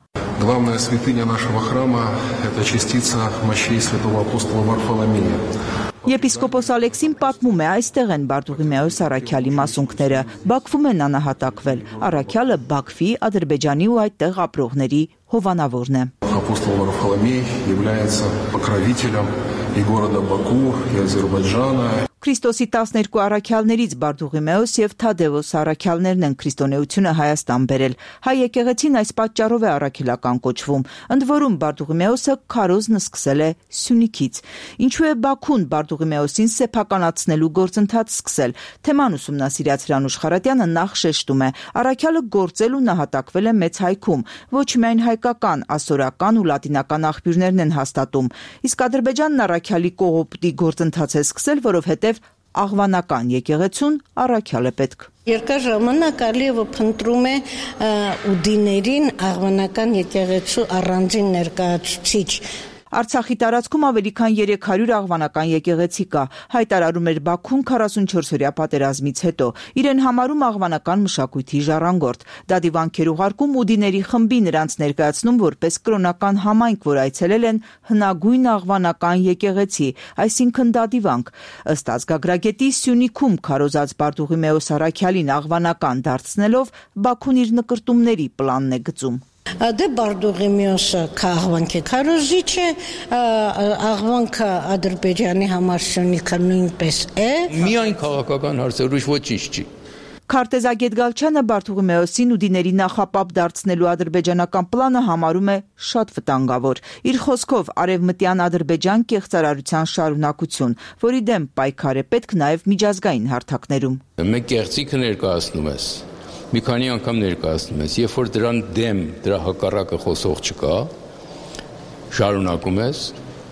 Speaker 13: Главная святыня нашего храма – это частица мощей святого апостола Варфоломея.
Speaker 7: Եպիսկոպոս Ալեքսին պատմում է, այստեղ են Բարդուղիմեոս առաքյալի մասունքները, Բաքվում են անահատակվել։ Առաքյալը Բաքվի, Ադրբեջանի ու այդտեղ ապրողների հովանավորն է։
Speaker 13: Апостол Варфоломей является покровителем и города Баку, и Азербайджана.
Speaker 7: Քրիստոսի 12 առաքյալներից Բարդուղիմեոս եւ Թադևոս առաքյալներն են քրիստոնեությունը Հայաստան բերել։ Հայ եկեղեցին այս պատճառով է առաքելական կոչվում։ Ընդ որում Բարդուղիմեոսը քարոզն սկսել է Սյունիքից։ Ինչու է Բաքուն Բարդուղիմեոսին սեփականացնելու գործընթաց սկսել։ Թեման ուսումնասիրած Հրանուշ Խարատյանը նախ շեշտում է. առաքյալը գործել ու նահատակվել է Մեծ Հայքում։ Ոչ միայն հայկական, ասորական ու լատինական աղբյուրներն են հաստատում։ Իսկ Ադրբեջանն առաքյալի կողոպտի գործընթաց է սկսել, որովհետև աղվանական եկեղեցուն առաքյալ է պետք։
Speaker 12: Երկար ժամանակ Ալիևը փնտրում է ուդիներին աղվանական եկեղեցու առանձին ներկայացուցիչ։
Speaker 7: Արցախի տարածքում ավելի քան 300 աղվանական եկեղեցի կա, հայտարարում էր Բաքուն 44-օրյա պատերազմից հետո, իրեն համարում աղվանական մշակույթի ժառանգորդ, դա դիվանքեր ուղարկում ուդիների խմբի նրանց ներկայացնում որպես կրոնական համայնք, որ այցելել են հնագույն աղվանական եկեղեցի, այսինքն դա դիվանք։ Ըստ ազգագրագետի Սյունիքում քարոզած Բարդուղիմեոս Առաքյալին աղվանական դարձնելով Բաքուն իր նկրտումների պլանն է գծում։
Speaker 12: Դե Բարդուղիմեոսը աղվանք է քարոզիչ է, աղվանքը Ադրբեջանի համար Սյունիքը նույնպես է։
Speaker 14: Միայն քաղաքական հարցեր, ուրիշ ոչինչ չի։
Speaker 7: Քարտեզագետ Գալչյանը Բարդուղիմեոսին ուդիների նախապապ դարձնելու ադրբեջանական պլանը համարում է շատ վտանգավոր։ Իր խոսքով արևմտյան Ադրբեջան կեղծարարության շարունակություն, որի դեմ պայքար է պետք նաև միջազգային հարթակներում։
Speaker 14: Մեկ կեղծիքը ներկայացնում ես, մի քանի անգամ ներկայացնում ես, երբ որ դրան դեմ, դրա հակառակը խոսող չկա, շարունակում ես,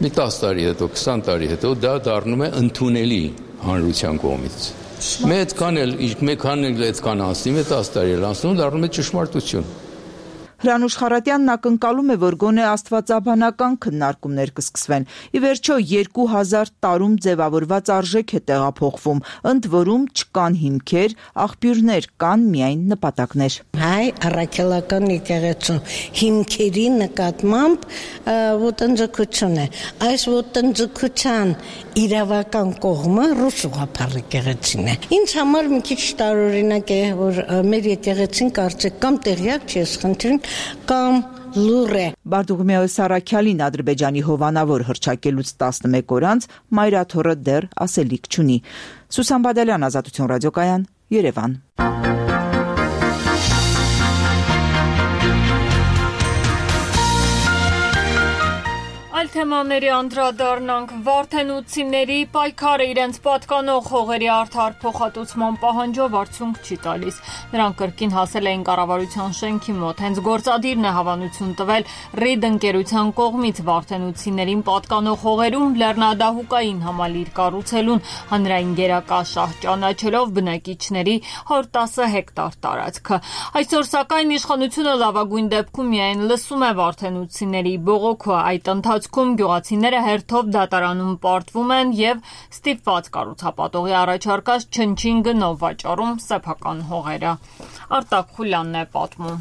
Speaker 14: մի 10 տարի հետո, 20 տարի հետո դա դառնում է ընդունելի հանրության կողմից։ Մեկ քան այդքան անցնի, 10 տարի էլ անցնում, դառնում է ճշմարտություն։
Speaker 7: Հրանուշ Խառատյանն ակնկալում է, որ գոնե աստվածաբանական քննարկումներ կսկսվեն։ Ի վերջո 2000 տարում ձևավորված արժեք է տեղափոխվում, ընդ որում չկան հիմքեր, աղբյուրներ, կան միայն նպատակներ։
Speaker 12: Հայ առաքելական եկեղեցու հիմքերի նկատմամբ ոտնձգություն է։ Այս ոտնձգության իրավական կողմը ռուս ուղղափառ եկեղեցին է։ Ինձ համար մի քիչ տարօրինակ է, որ մեր եկեղեցին կարծեք կամ տեղյակ չի, խնդրին կամ լուր է։
Speaker 7: Բարդուղիմեոս Առաքյալին Ադրբեջանի հովանավոր հռչակելուց 11 օր անց մայրաթոռը դեռ ասելիք չունի։ Սուսան Բադալյան, Ազատություն ռադիոկայան, Երևան։
Speaker 1: Այլ թեմաների անդրադառնանք, վարդենուցիների պայքարը իրենց պատկանող հողերի արդար փոխհատուցման պահանջով արդյունք չի տալիս։ Նրանք կրկին հասել էին կառավարության շենքի մոտ, հենց գործադիրն է հավանություն տվել Ռիդ ընկերության կողմից վարդենուցիներին պատկանող հողերում լեռնադահուկային համալիր կառուցելուն հանրային գերակա շահ ճանաչելով բնակիչների 110 հեկտար տարածքը։ Այսօր սակայն իշխանությունը լավագույն դեպքում միայն լսում է վարդենուցիների բողոքը, այդ ընթացքում գյուղացիները հերթով դատարանում պարտվում են եւ ստիպված կառուցապատողի առաջարկած չնչին գնով վաճառում սեփական հողերը։ Արտակ Խուլյանն է պատմում։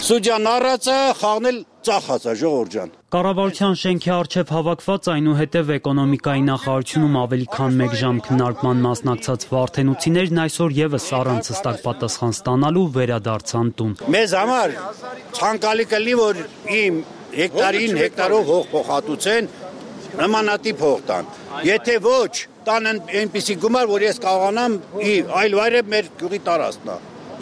Speaker 15: Սուջան առածը խաղնել ծախած է ժողովուրդ ջան։
Speaker 16: Կառավարության շենքի առջև հավաքված այնուհետև էկոնոմիկայի նախարարությունում ավելի քան 1 ժամ քննարկման մասնակցած վարդենուցիներն այսօր եւս առանց հստակ պատասխան ստանալու վերադարձան տուն։
Speaker 15: Մեզ համար ցանկալի կլինի, որ իմ հեկտարին հեկտարով հող փոխհատուցեն, նմանատիպ հող տան։ Եթե ոչ, տան այնպիսի գումար, որ ես կարողանամ այլ վայրը մեր գյուղի տարածքն է։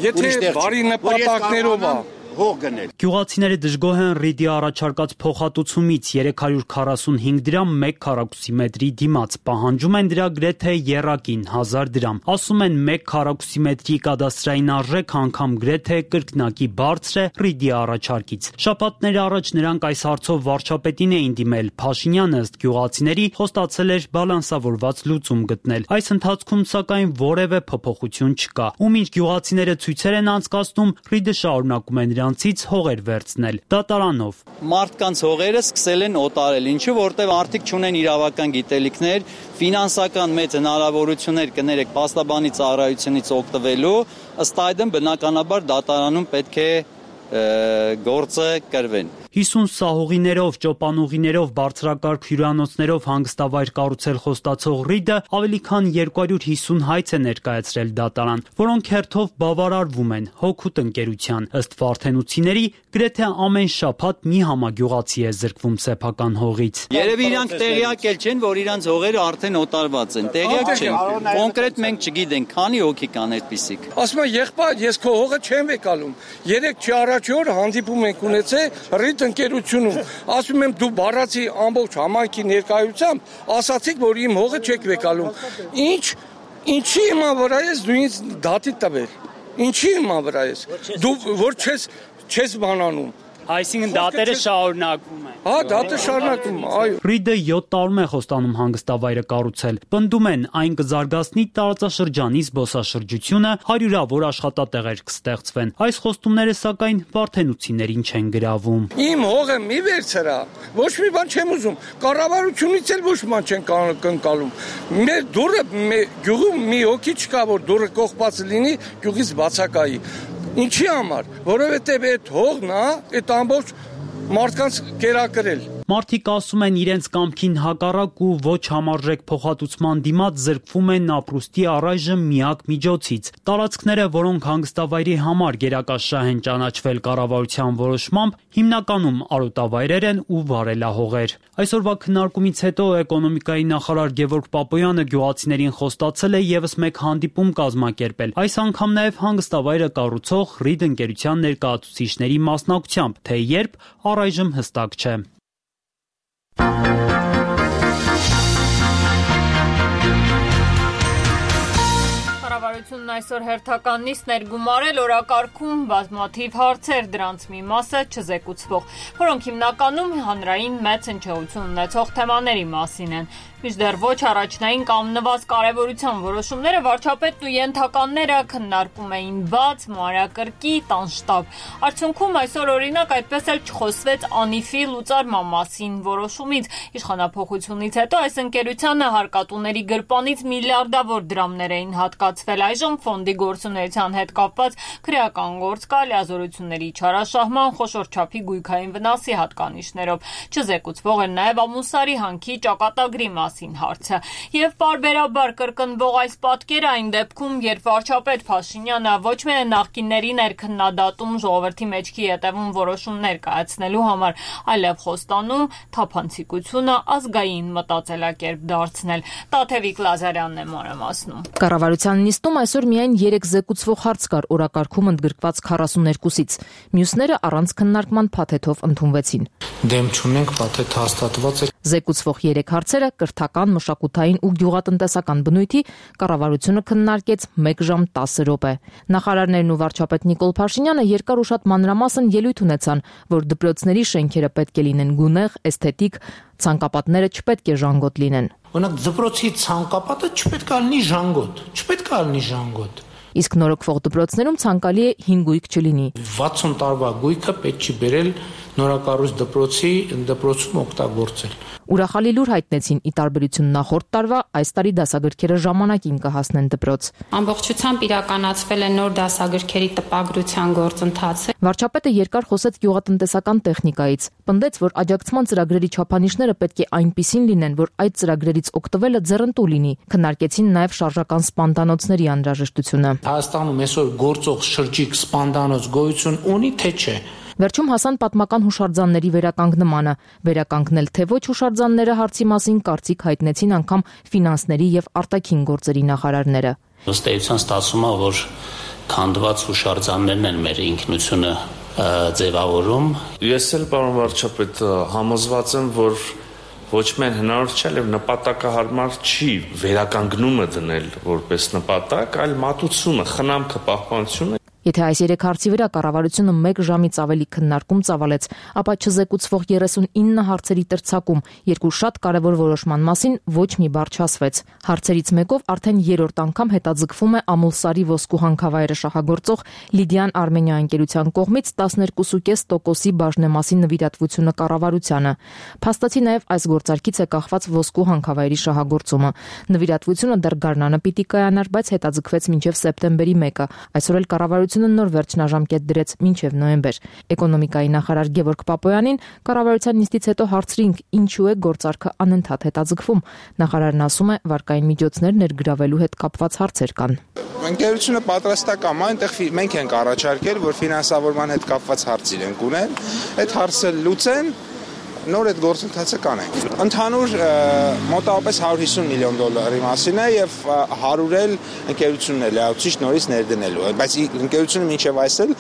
Speaker 17: Եթե բարի նպատակներով է
Speaker 15: հող գնել։
Speaker 16: Գյուղացիները դժգոհ են Ռիդի առաջարկած փոխհատուցումից 345 դրամ 1 քառակուսի մետրի դիմաց, պահանջում են դրա գրեթե եռակին 1000 դրամ։ Ասում են 1 քառակուսի մետրի կադաստրային արժեք անգամ գրեթե կրկնակի բարձր է Ռիդի առաջարկից։ Շաբաթներ առաջ նրանք այս հարցով վարչապետին էին դիմել, Փաշինյանը ըստ գյուղացիների խոստացել էր բալանսավորված լուծում գտնել։ Այս ընթացքում սակայն որևէ փոփոխություն չկա։ Ու մինչ գյուղացիները ցույցեր են անցկացնում, Ռիդը շարունակում է նրանցից հողեր վերցնել դատարանով։
Speaker 18: Մարդկանց հողերը սկսել են օտարել, ինչու որտեղ արդիկ չունեն իրավական գիտելիքներ, ֆինանսական մեծ հնարավորություններ կներեք փաստաբանի ծառայությունից օգտվելու, ըստ այդմ բնականաբար դատարանում պետք է գործը կրվեն։
Speaker 16: 50 սահողիներով, ճոպանուղիներով, բարձրակարգ հյուրանոցներով հանգստավայր կառուցել խոստացող Ռիդը ավելի քան 250 հայց է ներկայացրել դատարան, որոնք հերթով բավարարվում են Հոգուտ ընկերության։ Ըստ վարդենուցիների, գրեթե ամեն շաբաթ մի համագյուղացի է զրկվում սեփական հողից։
Speaker 18: Երևի իրանք տեղյակ էլ չեն, որ իրանք հողերը արդեն օտարված են։ Տեղյակ չեն։ Կոնկրետ մենք չգիտենք, քանի հոգի կան այդպիսիք։
Speaker 17: Ասում եմ, եղբայր, ես քո հողը չեմ վեկալում։ 3 առաջի օր հանդիպում ենք ունեցել Ռիդ ընկերությունում, ասում եմ դու բառացի ամբողջ համայնքի ներկայությամբ ասացիք, որ իմ հողը չեք վեկալում։ Ինչի իման վրա ես դու ինձ դատի տվել։ Ինչի իման վրա ես։ Դու որ չես բանանում։
Speaker 19: Այսինքն դատերը շարունակվում են։
Speaker 17: Հա, դատը շարունակվում, այո։
Speaker 16: Ռիդը 7 տարում է խոստանում հանգստավայրը կառուցել։ Պնդում են, այն կզարգացնի տարածաշրջանի զբոսաշրջությունը, հարյուրավոր աշխատատեղեր կստեղծվեն։ Այս խոստումները սակայն վարդենուցիներին չեն գրավում։
Speaker 17: Իմ հողը մի վերցրա, ոչ մի բան չեմ ուզում։ Կառավարությունից էլ ոչ մի բան չեն կնկալում։ Մեր դուրը գյուղում մի հոգի չկա, որ դուրը կողպած լինի, գյուղից բացակայի։ Ինչի համար, որովհետև այդ հողն է, այդ ամբողջ մարդկանց կերակրել։
Speaker 16: Մարդիկ ասում են իրենց կամքին հակառակ ու ոչ համարժեք փոխհատուցման դիմաց զրկվում են ապրուստի առայժմ միակ միջոցից։ Տարածքները, որոնք հանգստավայրի համար գերակաշահ են ճանաչվել կառավարության որոշմամբ, հիմնականում արոտավայրեր են ու վարելահողեր։ Այսօրվա քննարկումից հետո էկոնոմիկայի նախարար Գևորգ Պապոյանը գյուղացիներին խոստացել է ևս մեկ հանդիպում կազմակերպել։ Այս անգամ նաև հանգստավայրը կառուցող Ռիդ ընկերության ներկայացուցիչների մասնակցությամբ, թե երբ առայժմ հստակ չէ։
Speaker 1: Կառավարությունն այսօր հերթական նիստ ներգումարել օրակարգում բազմաթիվ հարցեր, դրանց մի մասը չզեկուցվող, որոնք հիմնականում հանրային մեծ հնչեղություն ունեցող թեմաների մասին են։ Մինչդեռ ոչ առաջնային կամ նվազ կարևորության որոշումները վարչապետն ու ենթականները քննարկում էին բաց, մանրակրկիտ, անշտապ։ Արդյունքում այսօր օրինակ այդպես էլ չխոսվեց Անիֆի լուծարման մասին որոշումից։ Իշխանափոխությունից հետո այս ընկերությանը հարկատուների գրպանից միլիարդավոր դրամներ էին հատկացվել, այժմ ֆոնդի գործունեության հետ կապված քրեական գործ կա լիազորությունների չարաշահման, խոշոր չափի գույքային վնասի հատկանիշներով։ Չզեկուցվող էր նաև Ամուսարի հանքի ճակատագրի հարցը եւ պարբերաբար կրկնվող այս պատկերը այն դեպքում, երբ վարչապետ Փաշինյանը ոչ միայն նախկինների ներքննադատում ժողովրդի մեջքի ետևում որոշումներ կայացնելու համար, այլև խոստանում թափանցիկությունը ազգային մտածելակերպ դարձնել։ Տաթևիկ Լազարյանն է մանրամասնում։
Speaker 20: Կառավարության նիստում այսօր միայն 3 զեկուցվող հարց կար օրակարգում ընդգրկված 42-ից։ Մյուսները առանց քննարկման փաթեթով ընդունվեցին։
Speaker 9: Դեմ չունենք, փաթեթ հաստատված է։
Speaker 20: Զեկուցվող 3 հարցերը կրթական, մշակութային ու գյուղատնտեսական բնույթի կառավարությունը քննարկեց 1 ժամ 10 րոպե։ Նախարարներն ու վարչապետ Նիկոլ Փաշինյանը երկար ու շատ մանրամասն ելույթ ունեցան, որ դպրոցների շենքերը պետք է լինեն գունեղ, էսթետիկ, ցանկապատները չպետք է ժանգոտ լինեն։
Speaker 9: Օրինակ դպրոցի ցանկապատը չպետք է լինի ժանգոտ։
Speaker 20: Իսկ նորոգվող դպրոցներում ցանկալի է 5 գույք չլինի։
Speaker 9: 60 տարվա գույքը պետք չի բերել նորակառույց դպրոցում օգտագործել։
Speaker 20: Ուրախալի լուր հայտնեցին ի տարբերություն նախորդ տարվա, այս տարի դասագրքերը ժամանակին կհասնեն դպրոց։
Speaker 21: Ամբողջությամբ իրականացվել է նոր դասագրքերի տպագրության գործընթացը։
Speaker 20: Վարչապետը երկար խոսեց գյուղատնտեսական տեխնիկայից, պնդեց, որ աջակցման ծրագրերի չափանիշները պետք է այնպիսին լինեն, որ այդ ծրագրերից օգտվելը ձեռնտու լինի։ Քննարկեցին նաև շարժական սպանդանոցների անհրաժեշտությունը։
Speaker 9: Հայաստանում այսօր գործող շրջիկ սպանդանոց գոյություն ունի, թե չէ։
Speaker 20: Վերջում հասան պատմական հուշարձանների վերականգնմանը։ Վերականգնել թե ոչ հուշարձանները հարցի մասին կարծիք հայտնեցին անգամ ֆինանսների եւ արտաքին գործերի նախարարները։
Speaker 22: Ըստ էության ստացվում է, որ քանդված հուշարձաններն են մեր ինքնությունը ձևավորում։
Speaker 23: Ես էլ պարոն վարչապետ համոզված եմ, որ ոչ միայն հնարավոր չէ, այլև նպատակահարմար չի վերականգնումը դնել որպես նպատակ, այլ մատուցումը, խնամքը, պահպանությունը։
Speaker 20: Եթե այս 3 հարցի վրա կառավարությունը 1 ժամից ավելի քննարկում ծավալեց, ապա չզեկուցվող 39 հարցերի տրցակում 2 շատ կարևոր որոշման մասին ոչ մի բառ չասվեց։ Հարցերից մեկով արդեն 3-րդ անգամ հետաձգվում է Ամուլսարի ոսկու հանքավայրը շահագործող Լիդիան Արմենիա ընկերության կողմից 12.5%-ի բաժնեմասի նվիրատվությունը կառավարությանը։ Փաստացի նաև այս գործարքից է կախված ոսկու հանքավայրի շահագործումը։ Նվիրատվությունը դեռ գարնանը պիտի կայանար, բայց հետաձգվեց մինչև սեպտեմբերի 1-ը։ Այսօր էլ կառավարությունը նոր վերջնաժամկետ դրեց մինչև նոյեմբեր։ Էկոնոմիկայի նախարար Գևորգ Պապոյանին կառավարության նիստից հետո հարցրինք, ինչու է գործարքը անընդհատ հետաձգվում։ Նախարարն ասում է, վարկային միջոցներ ներգրավելու հետ կապված հարցեր կան։
Speaker 24: Ընկերությունը պատրաստական է, այնտեղ մենք ենք առաջարկել, որ ֆինանսավորման հետ կապված հարց իրենք ունեն, այդ հարցը լուծեն, նոր այդ գործընթացը կանենք։ Ընդհանուր մոտավորապես $150 միլիոն մասին է եւ 100 էլ ընկերությունն է լիացուցիչ նորից ներդնելու։ Բայց ընկերությունը մինչեւ այսօր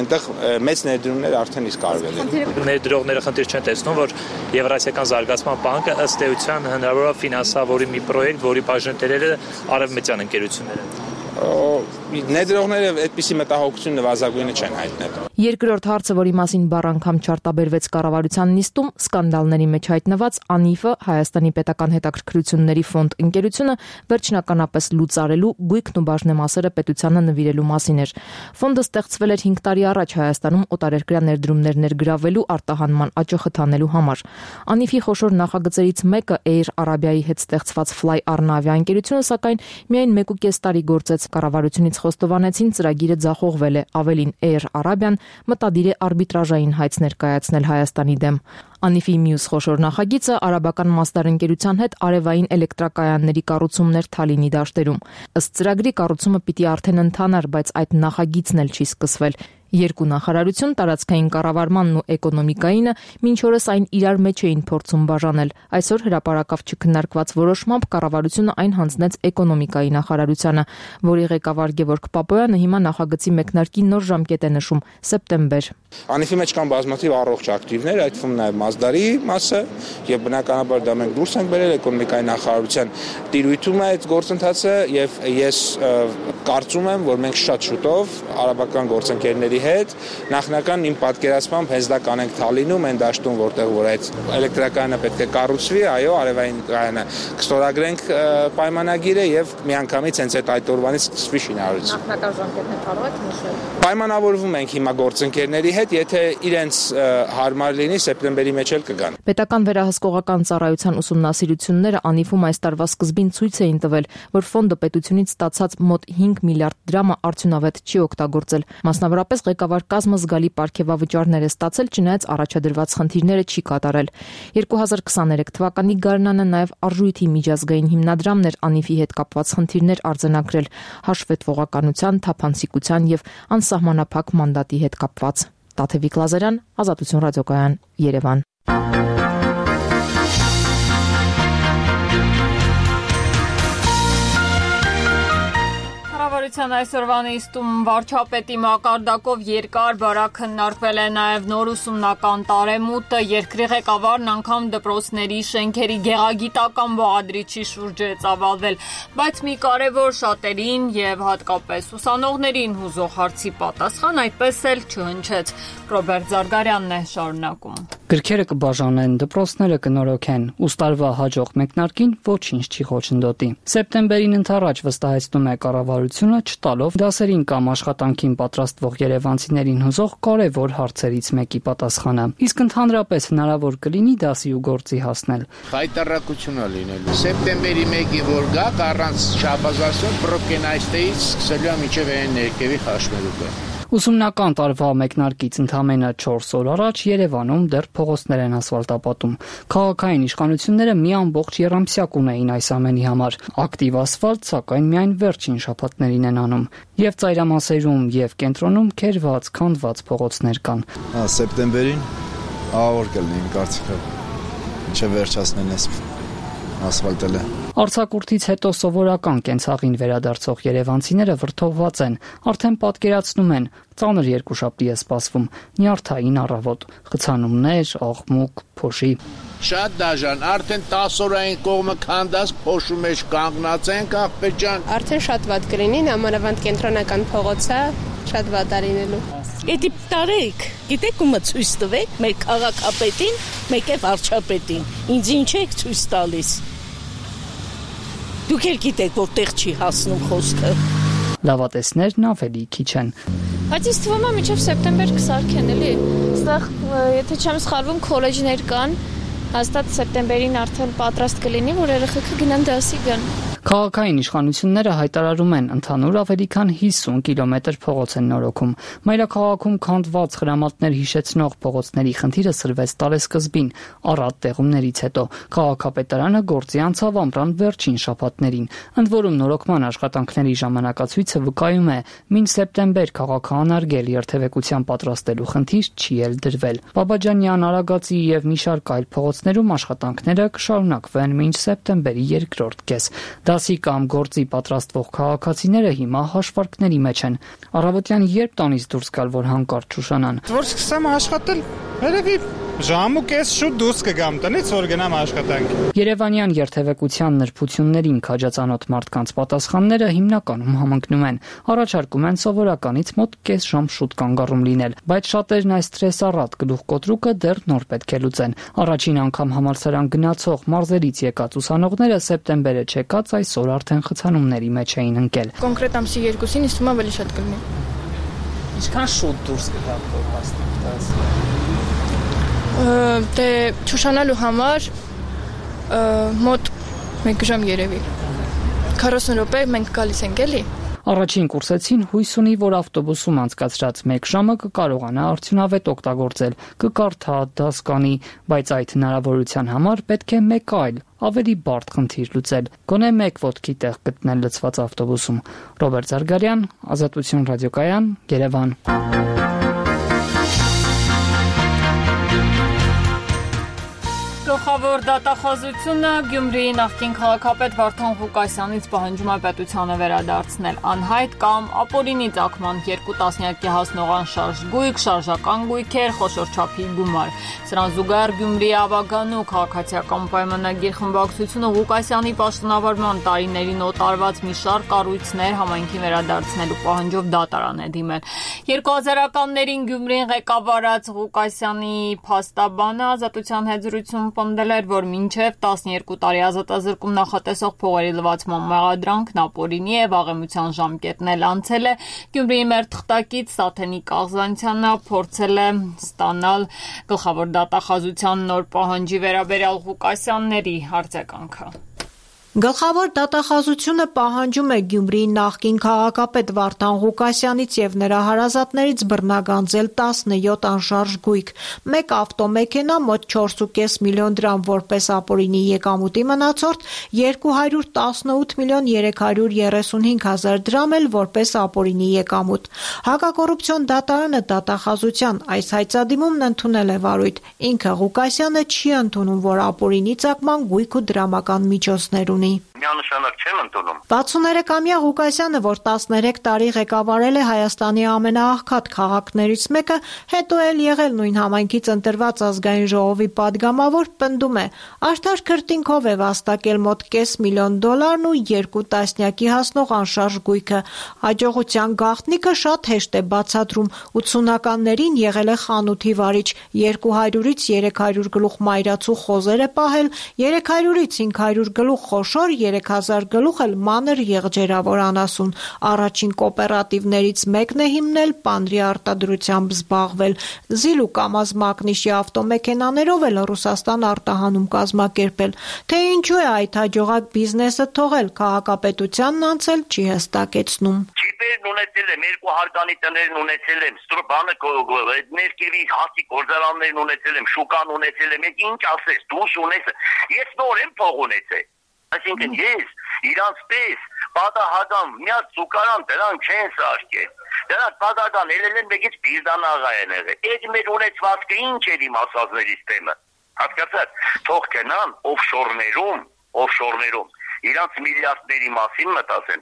Speaker 24: այնտեղ մեծ ներդրումներ արդեն իսկ արվել են։
Speaker 25: Ներդրողները խնդիր չեն տեսնում, որ Եվրասիական զարգացման բանկը ըստ էության հնարավոր է ֆինանսավորի մի պրոյեկտ, որի բաժնետերերը արևմտյան ընկերություններ են։
Speaker 24: Ներդրողները այդպիսի մտահոգություն նվազագույնը չեն հայտնել։
Speaker 20: Երկրորդ հարցը, որի մասին բառ անգամ չարտաբերվեց կառավարության նիստում, սկանդալների մեջ հայտնված ԱՆԻՖ-ը Հայաստանի պետական հետաքրքրությունների ֆոնդ ընկերությունը վերջնականապես լուծարելու գույքն ու բաժնեմասերը պետությանը նվիրելու մասին էր։ Ֆոնդը ստեղծվել էր 5 տարի առաջ Հայաստանում օտարերկրյա ներդրումներ ներգրավելու արտահանման աճը խթանելու համար։ ԱՆԻՖ-ի խոշոր նախագծերից մեկը Air Arabia-ի հետ ստեղծված Fly Arna ավիաընկերությունը, սակայն միայն 1.5 տարի գործեց։ Կառավարությունից խոստովանեցին, ծրագիրը ձախողվել է, ավելին Air Arabia-ն մտադիր է արբիտրաժային հայց ներկայացնել Հայաստանի դեմ։ ԱՆԻՖ-ի մյուս խոշոր նախագիծը արաբական մասդար ընկերության հետ արևային էլեկտրակայանների կառուցումներ Թալինի դաշտերում։ Ըստ ծրագրի կառուցումը պիտի արդեն ընթանար, բայց այդ նախագիծն էլ չի սկսվել։ Երկու նախարարություն, տարածքային կառավարմանն ու էկոնոմիկայինը մինչ օրս այն իրար մեջ էին փորձում բաժանել։ Այսօր հրապարակավ չքննարկված որոշմամբ կառավարությունը այն հանձնեց էկոնոմիկայի նախարարությանը, որի ղեկավար Գևորգ Պապոյանը հիմա նախագծի մեկնարկի նոր ժամկետ է նշում՝ սեպտեմբեր։
Speaker 24: ԱՆԻՖ-ի մեջ կան բազմաթիվ առողջ ակտիվներ, այդ թվում նաև Մազդարի մասը, եւ բնականաբար դա մենք դուրս ենք բերել էկոնոմիկայի նախարարության տիրույթում է այդ գործընթացը, եւ ես կարծում եմ, որ մենք շատ շուտով արաբական գործընկերների հետ նախնական իմ պատկերացմամբ հենց դա կանենք Թալինում, այն դաշտում, որտեղ որ այդ էլեկտրակայանը պետք է կառուցվի, այո, արևային կայանը կստորագրենք պայմանագիրը եւ միանգամից հենց այդ օրվանից սկսվի շինարարությունը։
Speaker 20: Նախնական ժամկետներ կարող եք նշել։
Speaker 24: Պայմանավորվում ենք հիմա գործընկերների հետ, եթե իրենց հարմար լինի, սեպտեմբերի մեջ էլ կգան։
Speaker 20: Պետական վերահսկողական ծառայության ուսումնասիրությունները ԱՆԻՖ-ում այս տարվա սկզբին ցույց էին տվել, որ ֆոնդը պետությունից ստացած մոտ 5 միլիարդ դրամը արդյունավետ չի օգտագործել։ Մասնավորապես ղեկավար կազմը զգալի պարգևավճարներ է ստացել, չնայած առաջադրված խնդիրները չի կատարել։ 2023 թվականի գարնանը նաև արժույթի միջազգային հիմնադրամն էր ԱՆԻՖ-ի հետ կապված խնդիրներ արձանագրել հաշվետվողականության, թափանցիկության եւ անսահմանափակ մանդատի հետ կապված։ Տաթևիկ Լազարյան, Ազատություն ռադիոկայան, Երևան։
Speaker 1: Կառավարության այսօրվա նիստում վարչապետի մակարդակով երկար բարակ քննարկվել է նաև նոր ուսումնական տարեմուտը, երկրի ղեկավարն անգամ դպրոցների շենքերի գեղագիտական բաղադրիչի շուրջ է ծավալվել, բայց մի կարևոր շատերին եւ հատկապես ուսանողներին հուզող հարցի պատասխան այդպես էլ չհնչեց։ Ռոբերտ Զարգարյանն է շարունակում։
Speaker 2: Գրքերը կբաժանեն, դպրոցները կնորոգեն, ուստարվա հաջող մեկնարկին ոչինչ չի խոչընդոտի։ Սեպտեմբերին ընդառաջ վստահեցնում է կառավարությունը, չտալով դասերին կամ աշխատանքին պատրաստվող երևանցիներին հուզող կարևոր հարցերից մեկի պատասխանը։ Իսկ ընդհանրապես հնարավոր կլինի դասի ու գործի հասնել։
Speaker 3: Հայտարարություն է լինելու։ Սեպտեմբերի 1-ի որ գա առանց շաբաթասուն պրոկենայստեից սկսելու է մինչև այն ներքևի խաշմերուկը։
Speaker 2: Ուսումնական տարվա մեկնարկից ընդամենը 4 օր առաջ Երևանում դեռ փողոցներ են ասֆալտապատում։ Քաղաքային իշխանությունները մի ամբողջ եռամսյակ ունեին այս ամենի համար։ Ակտիվ ասֆալտ, սակայն միայն վերջին շաբաթներին են անում։ Եվ ծայրամասերում, եւ կենտրոնում քերված, քանդված փողոցներ կան։
Speaker 5: Սեպտեմբերին ահավոր կլինի իմ կարծիքով։ Ինչը վերջացնեն էս ասֆալտելը։
Speaker 2: Արձակուրդից հետո սովորական կենցաղին վերադարձող երևանցիները վրդովված են, արդեն պատկերացնում են, ծանր երկուշաբթի է սպասվում, նյարդային առավոտ, խցանումներ, աղմուկ, փոշի։
Speaker 3: Շատ դաժան, արդեն 10 օրային կողմը քանդած փոշու մեջ կանգնած ենք, աղբեր ջան։
Speaker 8: Արդեն շատ վատ կլինի, նամանավանդ կենտրոնական փողոցը շատ վատ է լինելու։
Speaker 10: Էդի տարեք, գիտեք ումը ցույց տվեք, մեր քաղաքապետին, մեկ է վարչապետին։ Ինձ ինչ եք ցույց տալիս։ Դուք էլ գիտեք, որտեղ չի հասնում խոսքը։
Speaker 2: Լավատեսներն ավելի քիչ են։
Speaker 21: Բայց ինձ թվում է մինչև սեպտեմբեր կսարքեն, էլի։ Այստեղ, եթե չեմ սխալվում, քոլեջներ կան, հաստատ սեպտեմբերին արդեն պատրաստ կլինի, որ երեխեքը գնան դասի գան։
Speaker 2: Քաղաքային իշխանությունները հայտարարում են, ընդհանուր ավելի քան 50 կիլոմետր փողոց են նորոգում։ Մայրաքաղաքում քանդված խրամատներ հիշեցնող փողոցների խնդիրը սրվեց տարեսկզբին, առատ տեղումներից հետո։ Քաղաքապետարանը գործի անցավ ամռան վերջին շաբաթներին։ Ընդ որում նորոգման աշխատանքների ժամանակացույցը վկայում է, մինչ սեպտեմբեր քաղաքահանարգել երթևեկության պատրաստելու խնդիր չի էլ դրվել։ Բաբաջանյան, Արագածի եւ մի շարք այլ փողոցներում աշխատանքները կշարունակվեն մինչ սեպտեմբերի երկրորդ կես։ Դասի կամ գործի պատրաստվող քաղաքացիները հիմա հաշվարկների մեջ են։ Առավոտյան երբ տանից դուրս գալ, որ հանկարծ շուշանան։
Speaker 24: Որ սկսեմ աշխատել, երևի
Speaker 4: Ժամ ու կես շուտ դուրս կգամ տնից, որ գնամ աշխատանք։
Speaker 2: Երևանյան երթևեկության նրբություններին քաջածանոթ մարդկանց պատասխանները հիմնականում համընկնում են։ Առաջարկում են սովորականից մոտ կես ժամ շուտ կանգառում լինել, բայց շատերն այս սթրեսառատ գլուխկոտրուկը դեռ նոր պետք է լուծեն։ Առաջին անգամ համալսարան գնացող մարզերից եկած ուսանողները սեպտեմբերը չեկած այսօր արդեն խցանումների մեջ էին ընկել։
Speaker 6: Կոնկրետ ամսի 2-ին իսկ հիմա ավելի շատ կլինի։
Speaker 2: Ինչքան շուտ դուրս կգաք
Speaker 6: Դե ճուշանալու համար մոտ 1 ժամ երևի 40 րոպե մենք գալիս ենք էլի։
Speaker 2: Առաջին կուրսեցին հույս ունի, որ ավտոբուսում անցկացրած 1 ժամը կկարողանա արդյունավետ օգտագործել, կկարդա, դաս կանի, բայց այդ հնարավորության համար պետք է մեկ այլ, ավելի բարդ խնդիր լուծել։ Գոնե 1 ոտքի տեղ գտնել լցված ավտոբուսում։ Ռոբերտ Զարգարյան, Ազատություն ռադիոկայան, Երևան։
Speaker 1: Գլխավոր դատախազությունը Գյումրիի նախկին քաղաքապետ Վարդան Ղուկասյանից պահանջում է պետությանը վերադարձնել անհայտ կամ ապօրինի ծագման 2 տասնյակի հասնող անշարժ գույք, շարժական գույքեր, խոշոր չափի գումար։ Սրան զուգահեռ Գյումրիի ավագանու քաղաքացիական պայմանագիր խմբակցությունը Ղուկասյանի պաշտոնավարման տարիներին օտարված մի շարք կառույցներ համայնքին վերադարձնելու պահանջով դատարան է դիմել։ 2000-ականներին Գյումրիին ղեկավարած Ղուկասյանի փաստաբանը Ազատության հետ զրույցում պնդել էր, որ մինչև 12 տարի ազատազրկում նախատեսող փողերի լվացման մեղադրանքն ապօրինի է, վաղեմության ժամկետն էլ անցել է։ Գյումրիի մեր թղթակից Սաթենիկ Աղզանցյանը փորձել է ստանալ գլխավոր դատախազության նոր պահանջի վերաբերյալ Ղուկասյանների արձագանքը։
Speaker 11: Գլխավոր դատախազությունը պահանջում է Գյումրիի նախկին քաղաքապետ Վարդան Ղուկասյանից եւ նրա հարազատներից բռնագանձել 17 անշարժ գույք, 1 ավտոմեքենա, մոտ 4.5 միլիոն դրամ որպես ապօրինի եկամուտի մնացորդ, 218 միլիոն 335 հազար դրամ էլ որպես ապօրինի եկամուտ։ Հակակոռուպցիոն դատարանը դատախազության այս հայցադիմումն ընդունել է վարույթ։ Ինքը Ղուկասյանը չի ընդունում, որ ապօրինի ծագման գույք ու դրամական միջոցներ
Speaker 13: Միանշանակ չեմ ընդունում։
Speaker 11: 63-ամյա Ղուկասյանը, որ 13 տարի ղեկավարել է Հայաստանի ամենաաղքատ քաղաքներից մեկը, հետո էլ եղել նույն համայնքից ընտրված ազգային ժողովի падգամավոր, պնդում է, արդար քրտինքով է վաստակել մոտ $500 միլիոն ու 2 տասնյակի հասնող անշարժ գույքը։ Հաջողության գաղտնիքը շատ հեշտ է բացատրում։ 80-ականներին եղել է խանութի վարիչ, 200-ից 300 գլուխ մայրացու խոզեր է պահել, 300-ից 500 գլուխ խոշոր, 3000 գլուխ էլ մանր եղջերավոր անասուն։ Առաջին կոոպերատիվներից մեկն է հիմնել, պանրի արտադրությամբ զբաղվել։ Զիլ ու Կամազ մակնիշի ավտոմեքենաներով էլ Ռուսաստան արտահանում կազմակերպել։ Թե ինչու է այդ հաջողակ բիզնեսը թողել, քաղաքապետությանն անցել չի հստակեցնում։
Speaker 13: Չիպերն ունեցել եմ, 2 հարկանի տներն ունեցել եմ, ստրուբանը ներքևի հացի գործարաններն ունեցել եմ, շուկան ունեցել եմ, ինչ ասես, դուս ունես, ես նոր եմ փող ունեցել։ Այսինքն ես իրանց պես պատահական միած զուգարան դրանք չեն սարքել։ Դրանք պատահական ելել են մեկից Բիրդան աղա են եղել։ Այդ մեր ունեցվածքը ինչ էր իմ ասածներից թեմը։ Հասկացա՞ք, թող գնան օֆշորներում իրանց միլիարդների մասին մտածեն։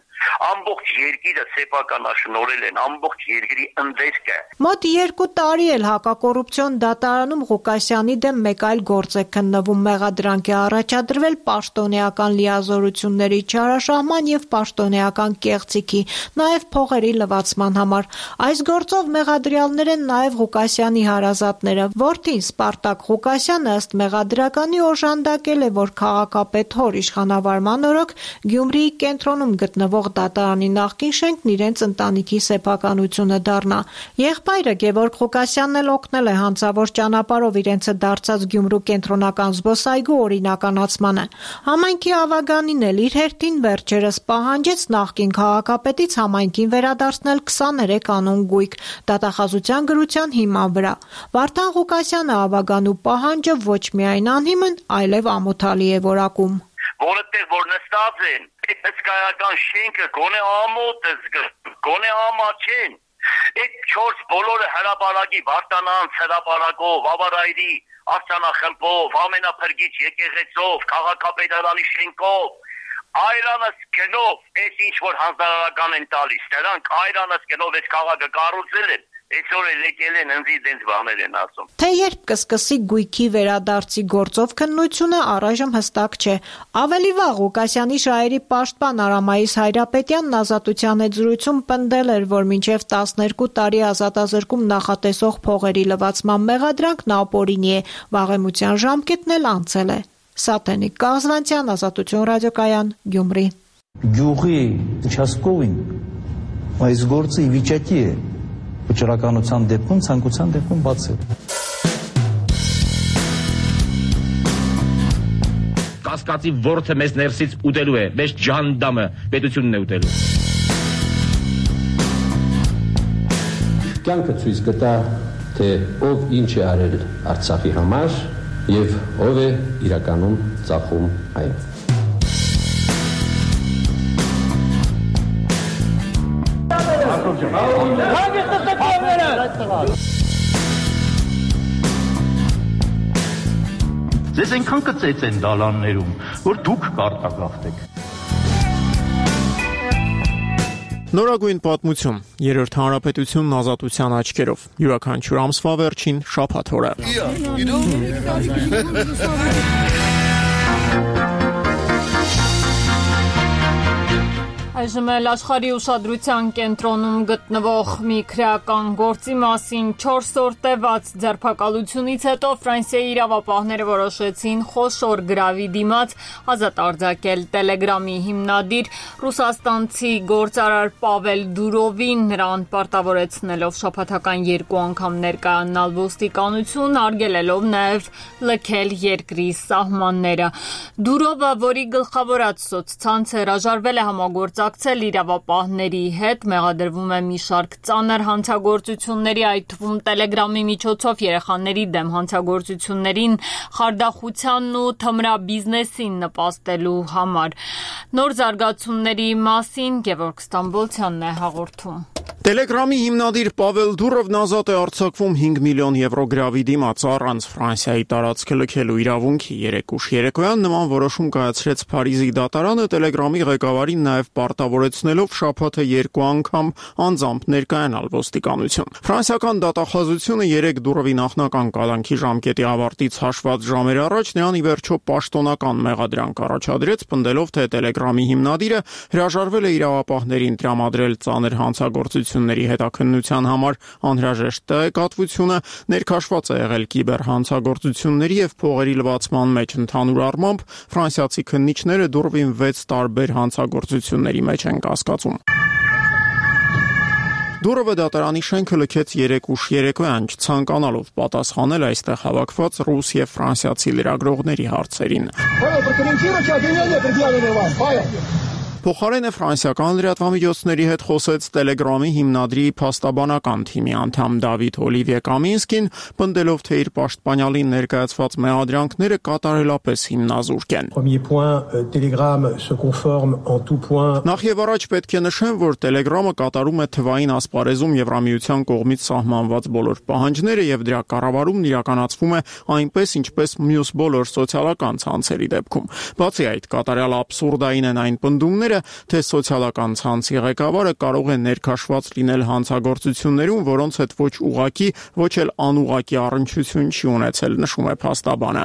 Speaker 13: Ամբողջ երկիրը սեփականաշնորհել են, ամբողջ երկրի ընդերքը։
Speaker 11: Մոտ 2 տարի էլ հակակոռուպցիոն դատարանում Ղուկասյանի դեմ մեկ այլ գործ է քննվում, մեղադրանք է առաջադրվել պաշտոնեական լիազորությունների չարաշահման եւ պաշտոնեական կեղծիքի, նաեւ փողերի լվացման համար։ Այս գործով մեղադրյալներ են նաեւ Ղուկասյանի հարազատները։ Որդին Սպարտակ Ղուկասյանը ըստ մեղադրականի օժանդակել է, որ քաղաքապետ հոր իշխանավարման օրոք Գյումրիի կենտրոնում գտնվող դատարանի նախկին շենքն իրենց ընտանիքի սեփականությունը դառնա։ Եղբայրը Գևորգ Ղուկասյանն էլ օգնել է հանցավոր ճանապարհով իրենցը դարձած Գյումրու կենտրոնական զբոսայգու օրինականացմանը։ Համայնքի ավագանին էլ իր հերթին վերջերս պահանջեց նախկին քաղաքապետից համայնքին վերադարձնել 23 անուն գույք դատախազության գրության հիման վրա։ Վարդան Ղուկասյանը ավագանու պահանջը ոչ միայն անհիմն, այլև ամոթալի է որակում։
Speaker 13: Որտեղ որ նստած են, այդ հսկայական շենքը գոնե ամոթ է, գոնե ամաչեն։ Այդ 4 բոլորը հրապարակի Վարդանանց հրապարակով, Ավարայրի արձանախմբով, ամենափրկիչ եկեղեցով, քաղաքապետարանի շենքով, այրանս գնով, այս ինչ որ հանձնարարական են տալիս, նրանք այրանս գնով այս քաղաքը կառուցել են, Այսօր էլ եկել են ընձի դենց բաներ են ասում։
Speaker 11: Թե երբ կսկսի գույքի վերադարձի գործով քննությունը առայժմ հստակ չէ։ Ավելի վաղ Ղուկասյանի շահերի պաշտպան Արամայիս Հայրապետյանն Ազատության հետ զրույցում պնդել էր, որ մինչև 12 տարի ազատազրկում նախատեսող փողերի լվացման մեղադրանքն ապօրինի է, վաղեմության ժամկետն էլ անցել է։ Սաթենիկ Կազվանցյան, Ազատություն ռադիոկայան, Գյումրի։
Speaker 7: Գյուղի участковին այս գործը ի վիճակի է վճռականության դեպքում, ցանկության դեպքում բացել։
Speaker 12: Կասկածի որդը մեզ ներսից ուտելու է, մեզ ջանդամը պետությունն է ուտելու։
Speaker 14: Կյանքը ցույց կտա, թե ով ինչ է արել Արցախի համար եւ ով է իրականում ծախում այն։
Speaker 15: Ձեզ այնքան կծեց են դալաններում, որ դուք կարտագաղթեք։
Speaker 18: Նորագույն պատմություն, երրորդ հանրապետությունն ազատության աչքերով, յուրաքանչյուր ամսվա վերջին շաբաթ օրը։
Speaker 1: Այժմ էլ աշխարհի ուշադրության կենտրոնում գտնվող մի քրեական գործի մասին 4 օր տևած ձերբակալությունից հետո Ֆրանսիայի իրավապահները որոշեցին խոշոր գրավի դիմաց ազատ արձակել Տելեգրամի հիմնադիր ռուսաստանցի գործարար Պավել Դուրովին, նրան պարտավորեցնելով շաբաթական 2 անգամ ներկայանալ ոստիկանություն, արգելելով նաև լքել երկրի սահմանները։ Դուրովը, որի գլխավորած սոցցանցը հրաժարվել է համագործակցել իրավապահների հետ, մեղադրվում է մի շարք ծանր հանցագործությունների, այդ թվում Տելեգրամի միջոցով երեխաների դեմ հանցագործություններին, խարդախությանն ու թմրաբիզնեսին նպաստելու համար։ Նոր զարգացումների մասին Գևորգ Ստամբոլցյանն է հաղորդում։
Speaker 18: Տելեգրամի հիմնադիր Պավել Դուրովն ազատ է արձակվում 5 միլիոն եվրո գրավի դիմաց առանց Ֆրանսիայի տարածքը լքելու իրավունքի։ Երեկուշ երեկոյան նման որոշում կայացրեց Փարիզի դատարանը Տելեգրամի ղեկավարին նաև պարտավորեցնելով շաբաթը 2 անգամ անձամբ ներկայանալ ոստիկանություն։ Ֆրանսիական դատախազությունը 3 Դուրովի նախնական կալանքի ժամկետի ավարտից հաշված ժամեր առաջ նրան ի վերջո պաշտոնական մեղադրանք առաջադրեց, պնդելով, թե Տելեգրամի հիմնադիրը հրաժարվել է իրավապահներին տրամադրել ծանր հանցագործությունների հետաքննության համար անհրաժեշտ տեղեկատվությունը, ներքաշված է եղել կիբերհանցագործությունների եւ փողերի լվացման մեջ։ Ընդհանուր առմամբ ֆրանսիացի քննիչները Դուրովին 6 տարբեր հանցագործությունների մեջ են կասկածում։ Դուրովը դատարանի շենքը լքեց երեկուշ երեկոյան, չցանկանալով պատասխանել այստեղ հավաքված ռուս եւ ֆրանսիացի լրագրողների հարցերին։ Փոխարենը ֆրանսիական լրատվամիջոցների հետ խոսեց Տելեգրամի հիմնադրի փաստաբանական թիմի անդամ Դավիթ Օլիվիե Կամինսկին, պնդելով, թե իր պաշտպանյալին ներկայացված մեղադրանքները կատարելապես հիմնազուրկ են։ Նախ եւ առաջ պետք է նշեմ, որ Տելեգրամը կատարում է թվային ասպարեզում Եվրամիության կողմից սահմանված բոլոր պահանջները եւ դրա կառավարումն իրականացվում է այնպես, ինչպես մյուս բոլոր սոցիալական ցանցերի դեպքում։ Բացի այդ, կատարյալ աբսուրդային են այն պնդումները, թե սոցիալական ցանցի ղեկավարը կարող է ներքաշված լինել հանցագործություններում, որոնց հետ ոչ ուղղակի, ոչ էլ անուղղակի առնչություն չի ունեցել, նշում է փաստաբանը։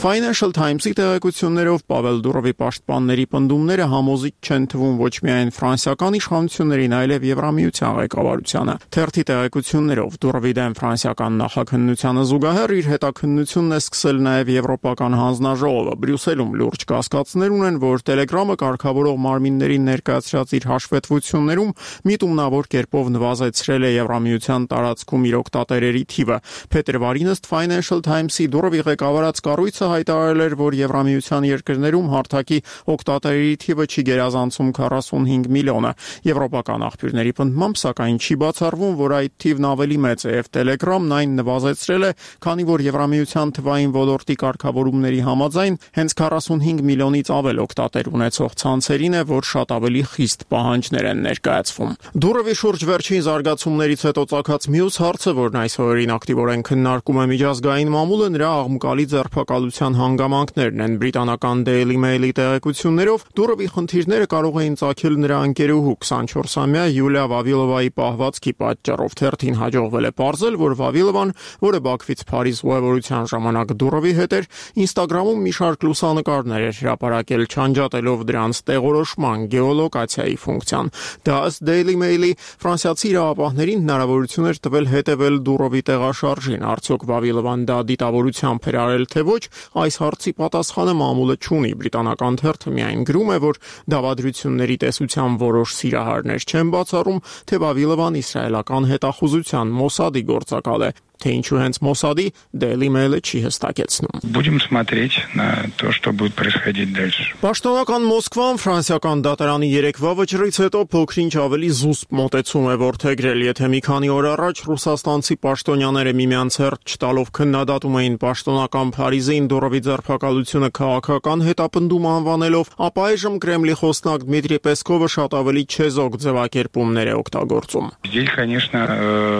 Speaker 18: Financial Times-ի տեղեկություններով Պավել Դուրովի պաշտպանների պնդումները համոզիչ չեն թվում ոչ միայն ֆրանսիական իշխանություններին, այլև Եվրամիության ղեկավարությանը։ Թերթի տեղեկություններով Դուրովի դեմ ֆրանսիական նախաքննությանը զուգահեռ իր հետաքննությունն է սկսել նաև Եվրոպական հանձնաժողովը։ Բրյուսելում լուրջ կասկածներ ունեն, որ Տելեգրամը կարգավորող մարմիններին ներկայացրած իր հաշվետվություններում միտումնավոր կերպով նվազեցրել է Եվրամիության տարածքում իր օգտատերերի թիվը։ Փետրվարին ըստ Financial Times-ի Դուրովի ղեկավարած կառույցը հայտարարել էր, որ Եվրամիության երկրներում հարթակի օգտատերերի թիվը չի գերազանցում 45 միլիոնը։ Եվրոպական աղբյուրների պնդմամբ, սակայն չի բացառվում, որ այդ թիվն ավելի մեծ է եւ Տելեգրամն այն նվազեցրել է, քանի որ Եվրամիության թվային ոլորտի կարգավորումների համաձայն հենց 45 միլիոնից բոլորից ավել օգտատեր ունեցող ցանցերին է, որ շատ ավելի խիստ պահանջներ են ներկայացվում։ Դուրովի շուրջ վերջին զարգացումներից հետո ծագած մյուս հարցը, որն այս օրերին ակտիվորեն քննարկում է միջազգային մամուլը, նրա աղմկալի ձերբակալության հանգամանքներն են։ Բրիտանական Daily Mail-ի տեղեկություններով Դուրովի խնդիրները կարող էին ծագել նրա ընկերուհու 24-ամյա Յուլիա Վավիլովայի պահվածքի պատճառով։ Թերթին հաջողվել է պարզել, որ Վավիլովան, որը Բաքվից Փարիզ ուղևորության ժամանակ Դուրովի հետ էր, Instagram-ում մի շարք լուսանկարներ էր հրապարակել, չանջատելով դրանց տեղորոշման գեոլոկացիայի ֆունկցիան։ Դա ըստ Daily Mail-ի ֆրանսիացի իրավապահներին հնարավորություն էր տվել հետևել Դուրովի տեղաշարժին։ Արդյոք Վավիլովան դա դիտավորությամբ էր արել, թե ոչ, այս հարցի պատասխանը մամուլը չունի։ Բրիտանական թերթը միայն գրում է, որ դավադրությունների տեսության որոշ սիրահարներ չեն բացառում, թե Վավիլովան իսրայելական հետախուզության Մոսադի գործակալ է, թե ինչու հենց Մոսադի Daily Mail-ը չի հստակեցնում։
Speaker 9: Будем смотреть на то, что будет происходить дальше.
Speaker 18: Պաշտոնական Մոսկվան ֆրանսիական դատարանի երեկվա վճռից հետո փոքրինչ ավելի զուսպ մոտեցում է որդեգրել, եթե մի քանի օր առաջ ռուսաստանցի պաշտոնյաները միմյանց հերթ չտալով քննադատում էին պաշտոնական Փարիզին Դուրովի ձերբակալությունը քաղաքական հետապնդում անվանելով, ապա այժմ Կրեմլի խոսնակ Դմիտրի Պեսկովը շատ ավելի չեզոք ձևակերպումներ է օգտագործում։
Speaker 9: Здесь, конечно,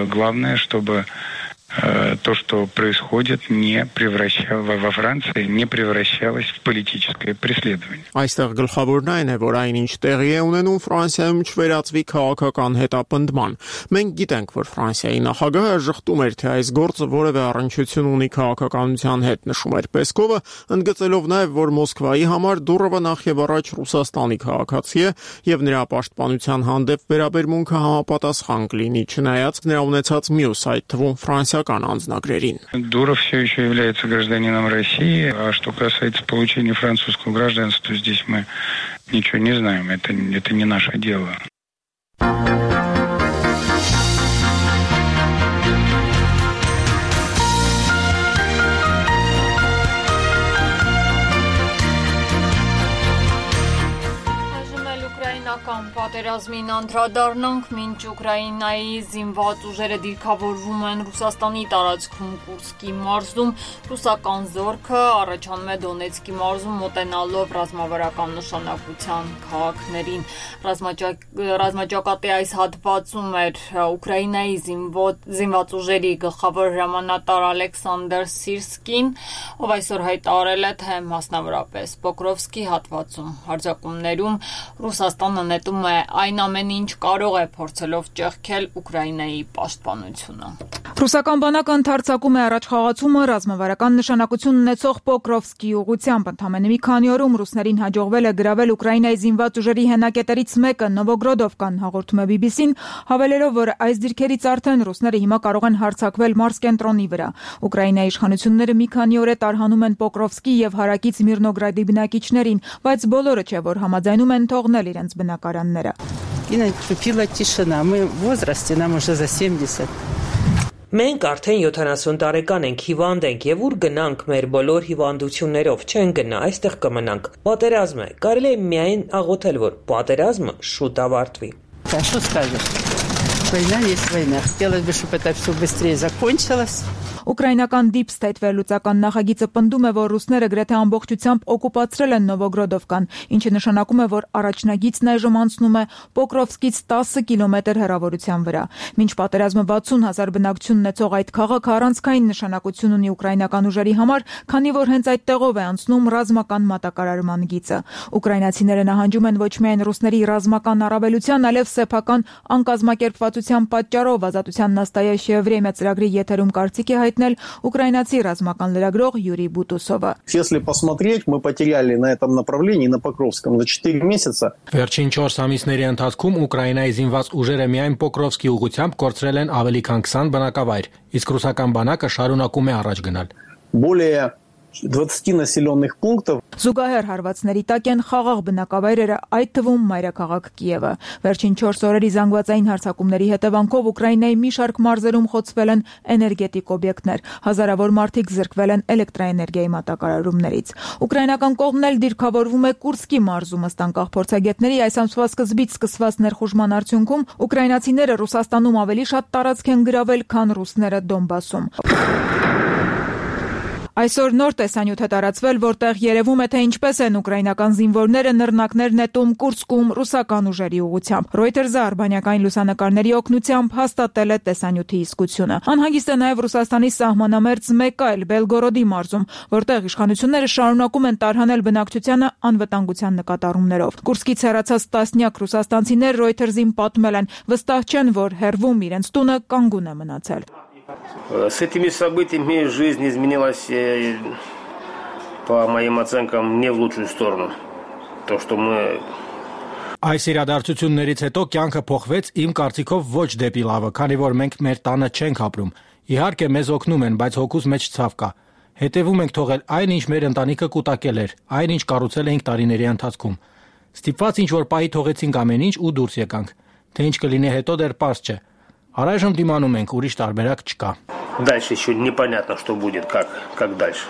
Speaker 9: главное, чтобы то, что происходит, во Франции не превращалось в политическое преследование.
Speaker 18: Այստեղ գլխավորն այն է, որ այնինչ տեղի է ունենում Ֆրանսիայում չվերածվի քաղաքական հետապնդման։ Մենք գիտենք, որ Ֆրանսիայի նախագահը ժխտում էր, թե այս գործը որևէ առնչություն ունի քաղաքականության հետ, նշում էր Պեսկովը, ընդգծելով նաև, որ Մոսկվայի համար Դուրովը նախ եւ առաջ Ռուսաստանի քաղաքացի է եւ նրա պաշտպանության հանդեպ վերաբերմունքը համապատասխան կլինի, չնայած նրա ունեցած մյուս, այդ թվում ֆրանսիական անձնագրերին։
Speaker 9: Дуров все еще является гражданином России, а что касается получения французского гражданства, то здесь мы ничего не знаем, это не наше дело.
Speaker 1: Պատերազմին անդրադառնանք, մինչ Ուկրաինայի զինված ուժերը դիրքավորվում են Ռուսաստանի տարածքում Կուրսկի մարզում, ռուսական զորքը առաջանում է Դոնեցկի մարզում մոտենալով ռազմավարական նշանակության քաղաքներին։ Ռազմաճակատի այս հատվածում էր Ուկրաինայի զինված ուժերի գլխավոր հրամանատար Ալեքսանդր Սիրսկին, ով այսօր հայտարարել է, թե մասնավորապես Պոկրովսկի հատվածում հարձակումներում Ռուսաստանը նետում է այն ամեն ինչ կարող է փորձելով ճեղքել Ուկրաինայի պաշտպանությունը։
Speaker 16: Ռուսական բանակը ընդարձակում է առաջխաղացումը ռազմավարական նշանակություն ունեցող Պոկրովսկի ուղղությամբ։ Ընդամենը մի քանի օրում ռուսներին հաջողվել է գրավել Ուկրաինայի զինված ուժերի հենակետերից մեկը Նովոգրոդովկան, հաղորդում է BBC-ն, հավելելով, որ այս դիրքերից արդեն ռուսները հիմա կարող են հարձակվել մարզկենտրոնի վրա։ Ուկրաինայի իշխանությունները մի քանի օր է տարհանում են Պոկրովսկի եւ հարակից Միրնոգրադի բնակիչներին, բայց բոլորը չէ, որ համաձայնում են թողնել իրենց բնակարանները։
Speaker 17: И наступила тишина. Мы в возрасте, нам уже за 70.
Speaker 19: Մենք արդեն 70 տարեկան ենք, հիվանդ ենք եւ ուր գնանք մեր բոլոր հիվանդություններով, չեն գնա, այստեղ կմնանք։ Պատերազմ է, կարելի է միայն աղոթել, որ պատերազմը շուտ ավարտվի։
Speaker 17: Да что скажешь? Война есть война. Хотелось бы, чтобы это все быстрее закончилось.
Speaker 16: Ուկրաինական Deep State վերլուծական նախագիծը պնդում է, որ ռուսները գրեթե ամբողջությամբ օկուպացրել են Նովոգրոդովկան, ինչը նշանակում է, որ առաջնագիծն այժմ անցնում է Պոկրովսկից 10 կիլոմետր հեռավորության վրա։ Մինչ պատերազմը 60,000 բնակչություն ունեցող այդ քաղաքը առանցքային նշանակություն ունի ուկրաինական ուժերի համար, քանի որ հենց այդտեղով է անցնում ռազմական մատակարարման գիծը։ Ուկրաինացիները նահանջում են ոչ միայն ռուսների ռազմական առավելության, այլև սեփական անկազմակերպվածության պատճառով։ Ազատության նաստայաշ Վրեմյա ծրագրի եթերում կարծիք է հայտնել ուկրաինացի ռազմական լրագրող Յուրի Բուտուսովը։
Speaker 22: Если посмотреть, мы потеряли на этом направлении на Покровском за 4 месяца.
Speaker 26: Վերջին 4 ամիսների ընթացքում Ուկրաինայի զինված ուժերը միայն Պոկրովսկի ուղղությամբ կորցրել են ավելի քան 20 բնակավայր, իսկ ռուսական բանակը շարունակում է առաջ գնալ։
Speaker 22: Более 20 населенных пунктов.
Speaker 16: Զուգահեռ հարվածների տակ են խաղաղ բնակավայրերը, այդ թվում մայրաքաղաք Կիևը։ Վերջին 4 օրերի զանգվածային հարձակումների հետևանքով Ուկրաինայի մի շարք մարզերում խոցվել են էներգետիկ օբյեկտներ, հազարավոր մարդիկ զրկվել են էլեկտրաէներգիայի մատակարարումներից։ Ուկրաինական կողմն էլ դիրքավորվում է Կուրսկի մարզում, ըստ անկախ փորձագետների այս ամսվա սկզբից սկսված ներխուժման արդյունքում ուկրաինացիները Ռուսաստանում ավելի շատ տարածք են գրավել, քան ռուսները Դոնբասում։ Այսօր նոր տեսանյութ է տարածվել, որտեղ երևում է, թե ինչպես են ուկրաինական զինվորները նռնակներ նետում Կուրսկում ռուսական ուժերի ուղղությամբ։ Reuters-ը արբանյակային լուսանկարների օգնությամբ հաստատել է տեսանյութի իսկությունը։ Անհանգիստ է նաև Ռուսաստանի սահմանամերձ մեկ այլ Բելգորոդի մարզում, որտեղ իշխանությունները շարունակում են տարհանել բնակչությանը անվտանգության նկատառումներով։ Կուրսկից հեռացած տասնյակ ռուսաստանցիներ Reuters-ին պատմել են, վստահ չեն, որ հեռվում իրենց տունը կանգուն է մնացել։
Speaker 3: С этими событиями жизнь изменилась, по моим оценкам, не в лучшую сторону. То, что мы...
Speaker 26: Այս իրադարձություններից հետո կյանքը փոխվեց իմ կարծիքով ոչ դեպի լավը, քանի որ մենք մեր տանը չենք ապրում։ Իհարկե մեզ օգնում են, բայց հոգուս մեջ ցավ կա։ Հետևում ենք թողել այն, ինչ մեր ընտանիքը կուտակել էր, այն, ինչ կառուցել էինք տարիների ընթացքում։ Ստիպված ինչ-որ պահի թողեցինք ամեն ինչ ու դուրս եկանք։ Թե ինչ կլինի հետո դեռ պարզ չէ։ Առայժմ դիմանում ենք, ուրիշ տարբերակ չկա։
Speaker 3: Дальше еще непонятно, что будет, как дальше.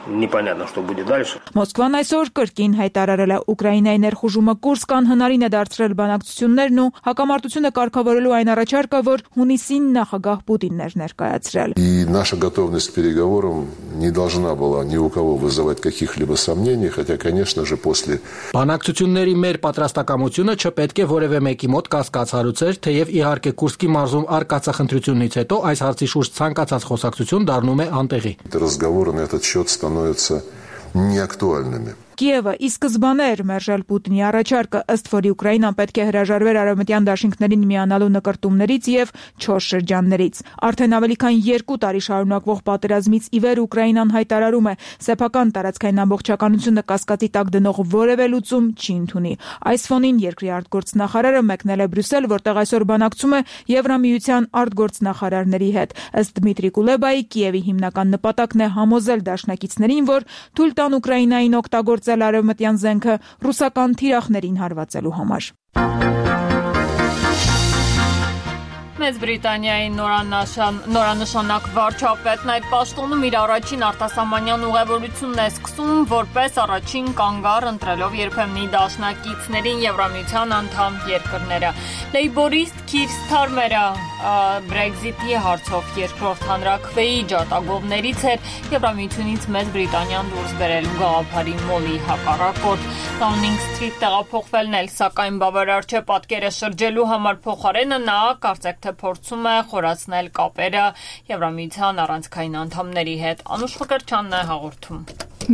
Speaker 3: Непонятно, что будет дальше.
Speaker 16: Մոսկվան այսօր կրկին հայտարարել է Ուկրաինայի ներխուժումը Կուրսկ անհնարին է դարձրել բանակցություններն ու հակամարտությունը կարգավորելու այն առաջարկը, որ հունիսին նախագահ Պուտինն էր ներկայացրել։
Speaker 5: И наша готовность к переговорам не должна была ни у кого вызывать каких-либо сомнений, хотя, конечно же, после
Speaker 26: Բանակցությունների մեր պատրաստակամությունը չպետք է որևէ մեկի մոտ կասկածառուցեր, թեև իհարկե Կուրսկի մարզում արկածախնդրությունից հետո այս հարցի շուրջ ցանկացած խոսակցություն դառնում է անտեղի։
Speaker 5: разговоры на этот счет становятся неактуальными.
Speaker 16: Կիևը ի սկզբանե էր մերժել Պուտինի առաջարկը, ըստ որի Ուկրաինան պետք է հրաժարվեր արևմտյան դաշինքներին միանալու նկրտումներից եւ 4 շրջաններից։ Արդեն ավելի քան 2 տարի շարունակվող պատերազմից ի վեր Ուկրաինան հայտարարում է, սեփական տարածքային ամբողջականությունը կասկածի տակ դնող որևէ լուծում չի ընդունի։ Այս ֆոնին երկրի արտգործնախարարը մեկնել է Բրյուսել, որտեղ այսօր բանակցում է Եվրամիության արտգործնախարարների հետ։ Ըստ Դմիտրի Կուլեբայի, Կիևի հիմնական նպատակն է համոզել դաշնակիցներին, որ թույլ տան Ուկրաինային օգտագործել արևմտյան զենքը ռուսական թիրախներին հարվածելու համար։
Speaker 1: Մեծ Բրիտանիայի նորանշանակ վարչապետն այդ պաշտոնում իր առաջին արտասահմանյան ուղևորությունն է սկսում, որպես առաջին կանգառ ընտրելով երբեմնի դաշնակիցներին Եվրամիության անդամ երկրները։ Լեյբորիստ Քիր Սթարմերը Brexit-ի հարցով երկրորդ հանրաքվեի ջատագովներից էր Եվրամիությունից Մեծ Բրիտանիան դուրս բերելու գաղափարի մոլի հակառակորդ։ Downing Street տեղափոխվելն էլ սակայն բավարար չէ պատկերը շրջելու համար, փոխարենը նա կարծեք թե փորձում է խորացնել կապերը Եվրամիության առանցքային անդամների հետ։ Անուշ Ֆկրչյանն է հաղորդում։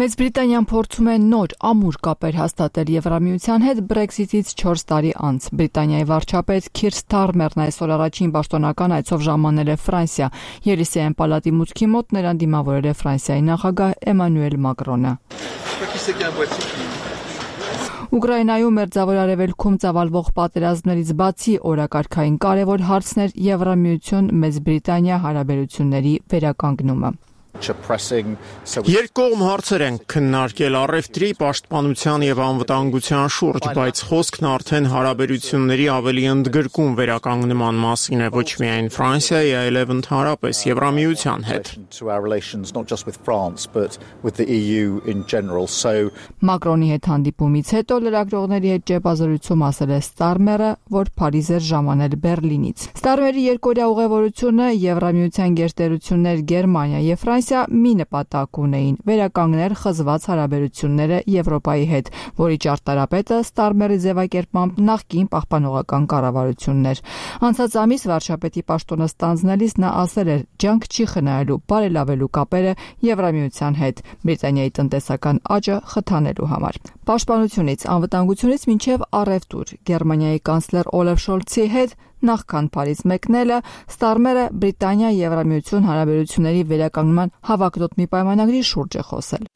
Speaker 8: Մեծ Բրիտանիան փորձում է նոր ամուր կապեր հաստատել Եվրամիության հետ Brexit-ից 4 տարի անց։ Բրիտանիայի վարչապետ Քիր Սթարմերն այսօր առաջին պաշտոնական այցով ժամանել է Ֆրանսիա։ Ելիսեյան պալատի մուտքի մոտ նրան դիմավորել է Ֆրանսիայի նախագահ Էմանուել Մակրոնը։ Ուկրաինայում մերձավոր արևելքում ծավալվող պատերազմներից բացի օրակարգային կարևոր հարցներ Եվրամիություն Մեծ Բրիտանիա հարաբերությունների վերականգնումը։
Speaker 18: Երկկողմ հարցեր են քննարկել առևտրի, պաշտպանության եւ անվտանգության շուրջ, բայց խոսքն արդեն հարաբերությունների ավելի ընդգրկուն վերականգնման մասին է ոչ միայն Ֆրանսիայի, այլև ընդհանրապես Եվրամիության հետ։
Speaker 8: Մակրոնի հետ հանդիպումից հետո լրագրողների հետ ճեպազրույցում ասել է Ստարմերը, որ Փարիզ էր ժամանել Բերլինից։ Ստարմերի երկօրյա ուղևորությունը Եվրամիության գերտերություններ Գերմանիա եւ Ֆրանսիա մի նպատակ ունեին՝ վերականգնել խզված հարաբերությունները Եվրոպայի հետ, որի ճարտարապետը Ստարմերի ձևակերպմամբ նախկին պահպանողական կառավարություններ։ Անցած ամիս վարչապետի պաշտոնը ստանձնելիս նա ասել էր՝ ջանք չի խնայելու բարելավելու կապերը Եվրամիության հետ Բրիտանիայի տնտեսական աճը խթանելու համար։ Պաշտպանությունից, անվտանգությունից մինչև առևտուր Գերմանիայի կանցլեր Օլաֆ Շոլցի հետ նախքան Փարիզ մեկնելը Ստարմերը Բրիտանիա-Եվրամիություն հարաբերությունների վերականգնման հավակնոտ մի պայմանագրի շուրջ է խոսել։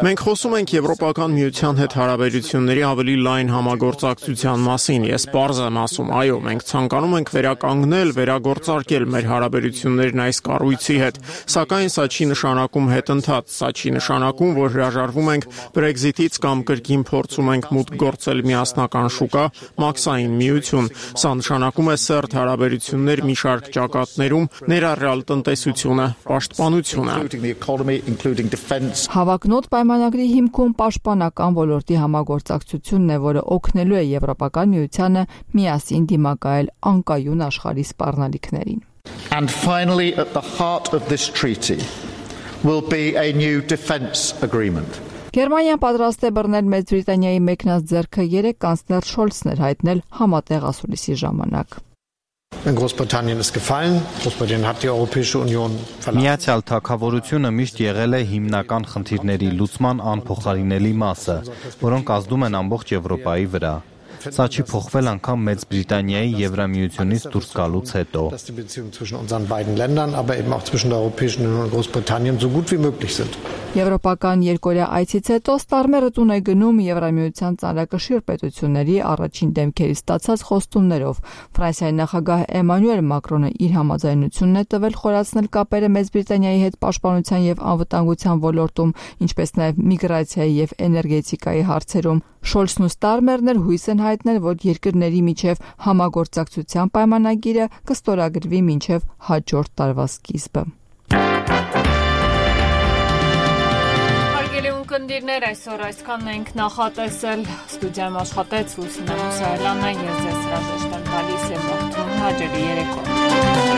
Speaker 18: Մենք խոսում ենք Եվրոպական միության հետ հարաբերությունների ավելի լայն համագործակցության մասին։ Ես պարզ եմ ասում, այո, մենք ցանկանում ենք վերականգնել, վերագործարկել մեր հարաբերություններն այս կառույցի հետ, սակայն սա չի նշանակում հետընթաց, սա չի նշանակում, որ հրաժարվում ենք Brexit-ից կամ կրկին փորձում ենք մուտք գործել միասնական շուկա, մաքսային միություն։ Սա նշանակում է սերտ հարաբերություններ մի շարք ճակատներում, ներառյալ տնտեսությունը, պաշտպանությունը։
Speaker 8: Հավակնոտ պայմանագրի հիմքում պաշտպանական ոլորտի համագործակցությունն է, որը օգնելու է Եվրոպական միությանը միասին դիմակայել անկայուն աշխարհի սպառնալիքներին։
Speaker 20: And finally, at the heart of this treaty,
Speaker 10: will be a new defence agreement.
Speaker 8: Գերմանիան պատրաստ է բռնել Մեծ Բրիտանիայի մեկնած ձեռքը 3 կանցլեր Շոլցն էր հայտնել համատեղ ասուլիսի ժամանակ։
Speaker 10: Großbritannien ist gefallen. Großbritannien hat die Europäische Union verlassen.
Speaker 20: Միացյալ Թագավորությունը միշտ եղել է հիմնական խնդիրների լուծման անփոխարինելի մասը, որոնք ազդում են ամբողջ Եվրոպայի վրա։ Սա չի փոխվել անգամ Մեծ Բրիտանիայի Եվրամիությունից դուրս գալուց հետո։
Speaker 10: Dass die Beziehungen zwischen unseren beiden Ländern, aber eben auch zwischen der Europäischen Union und Großbritannien so gut wie möglich sind.
Speaker 8: Եվրոպական երկօրյա այցից հետո Ստարմերը տուն է գնում Եվրամիության ծանրակշիռ պետությունների առաջին դեմքերի ստացած խոստումներով։ Ֆրանսիայի նախագահ Էմանուել Մակրոնը իր համաձայնությունն է տվել խորացնել կապերը Մեծ Բրիտանիայի հետ պաշտպանության եւ անվտանգության ոլորտում, ինչպես նաեւ միգրացիայի եւ էներգետիկայի հարցերում։ Շոլցն ու Ստարմերն էլ հույս են հայտնել, որ երկրների միջև համագործակցության պայմանագիրը կստորագրվի մինչև հաջորդ տարվա սկիզբը։
Speaker 1: Հարգելի ունկնդիրներ, այսօր այսքանն ենք նախատեսել։ Ստուդիայում աշխատեց Լուսինե Մուսայելյանը, ես ձեզ հրաժեշտ եմ տալիս եւ հաջողի երեկո։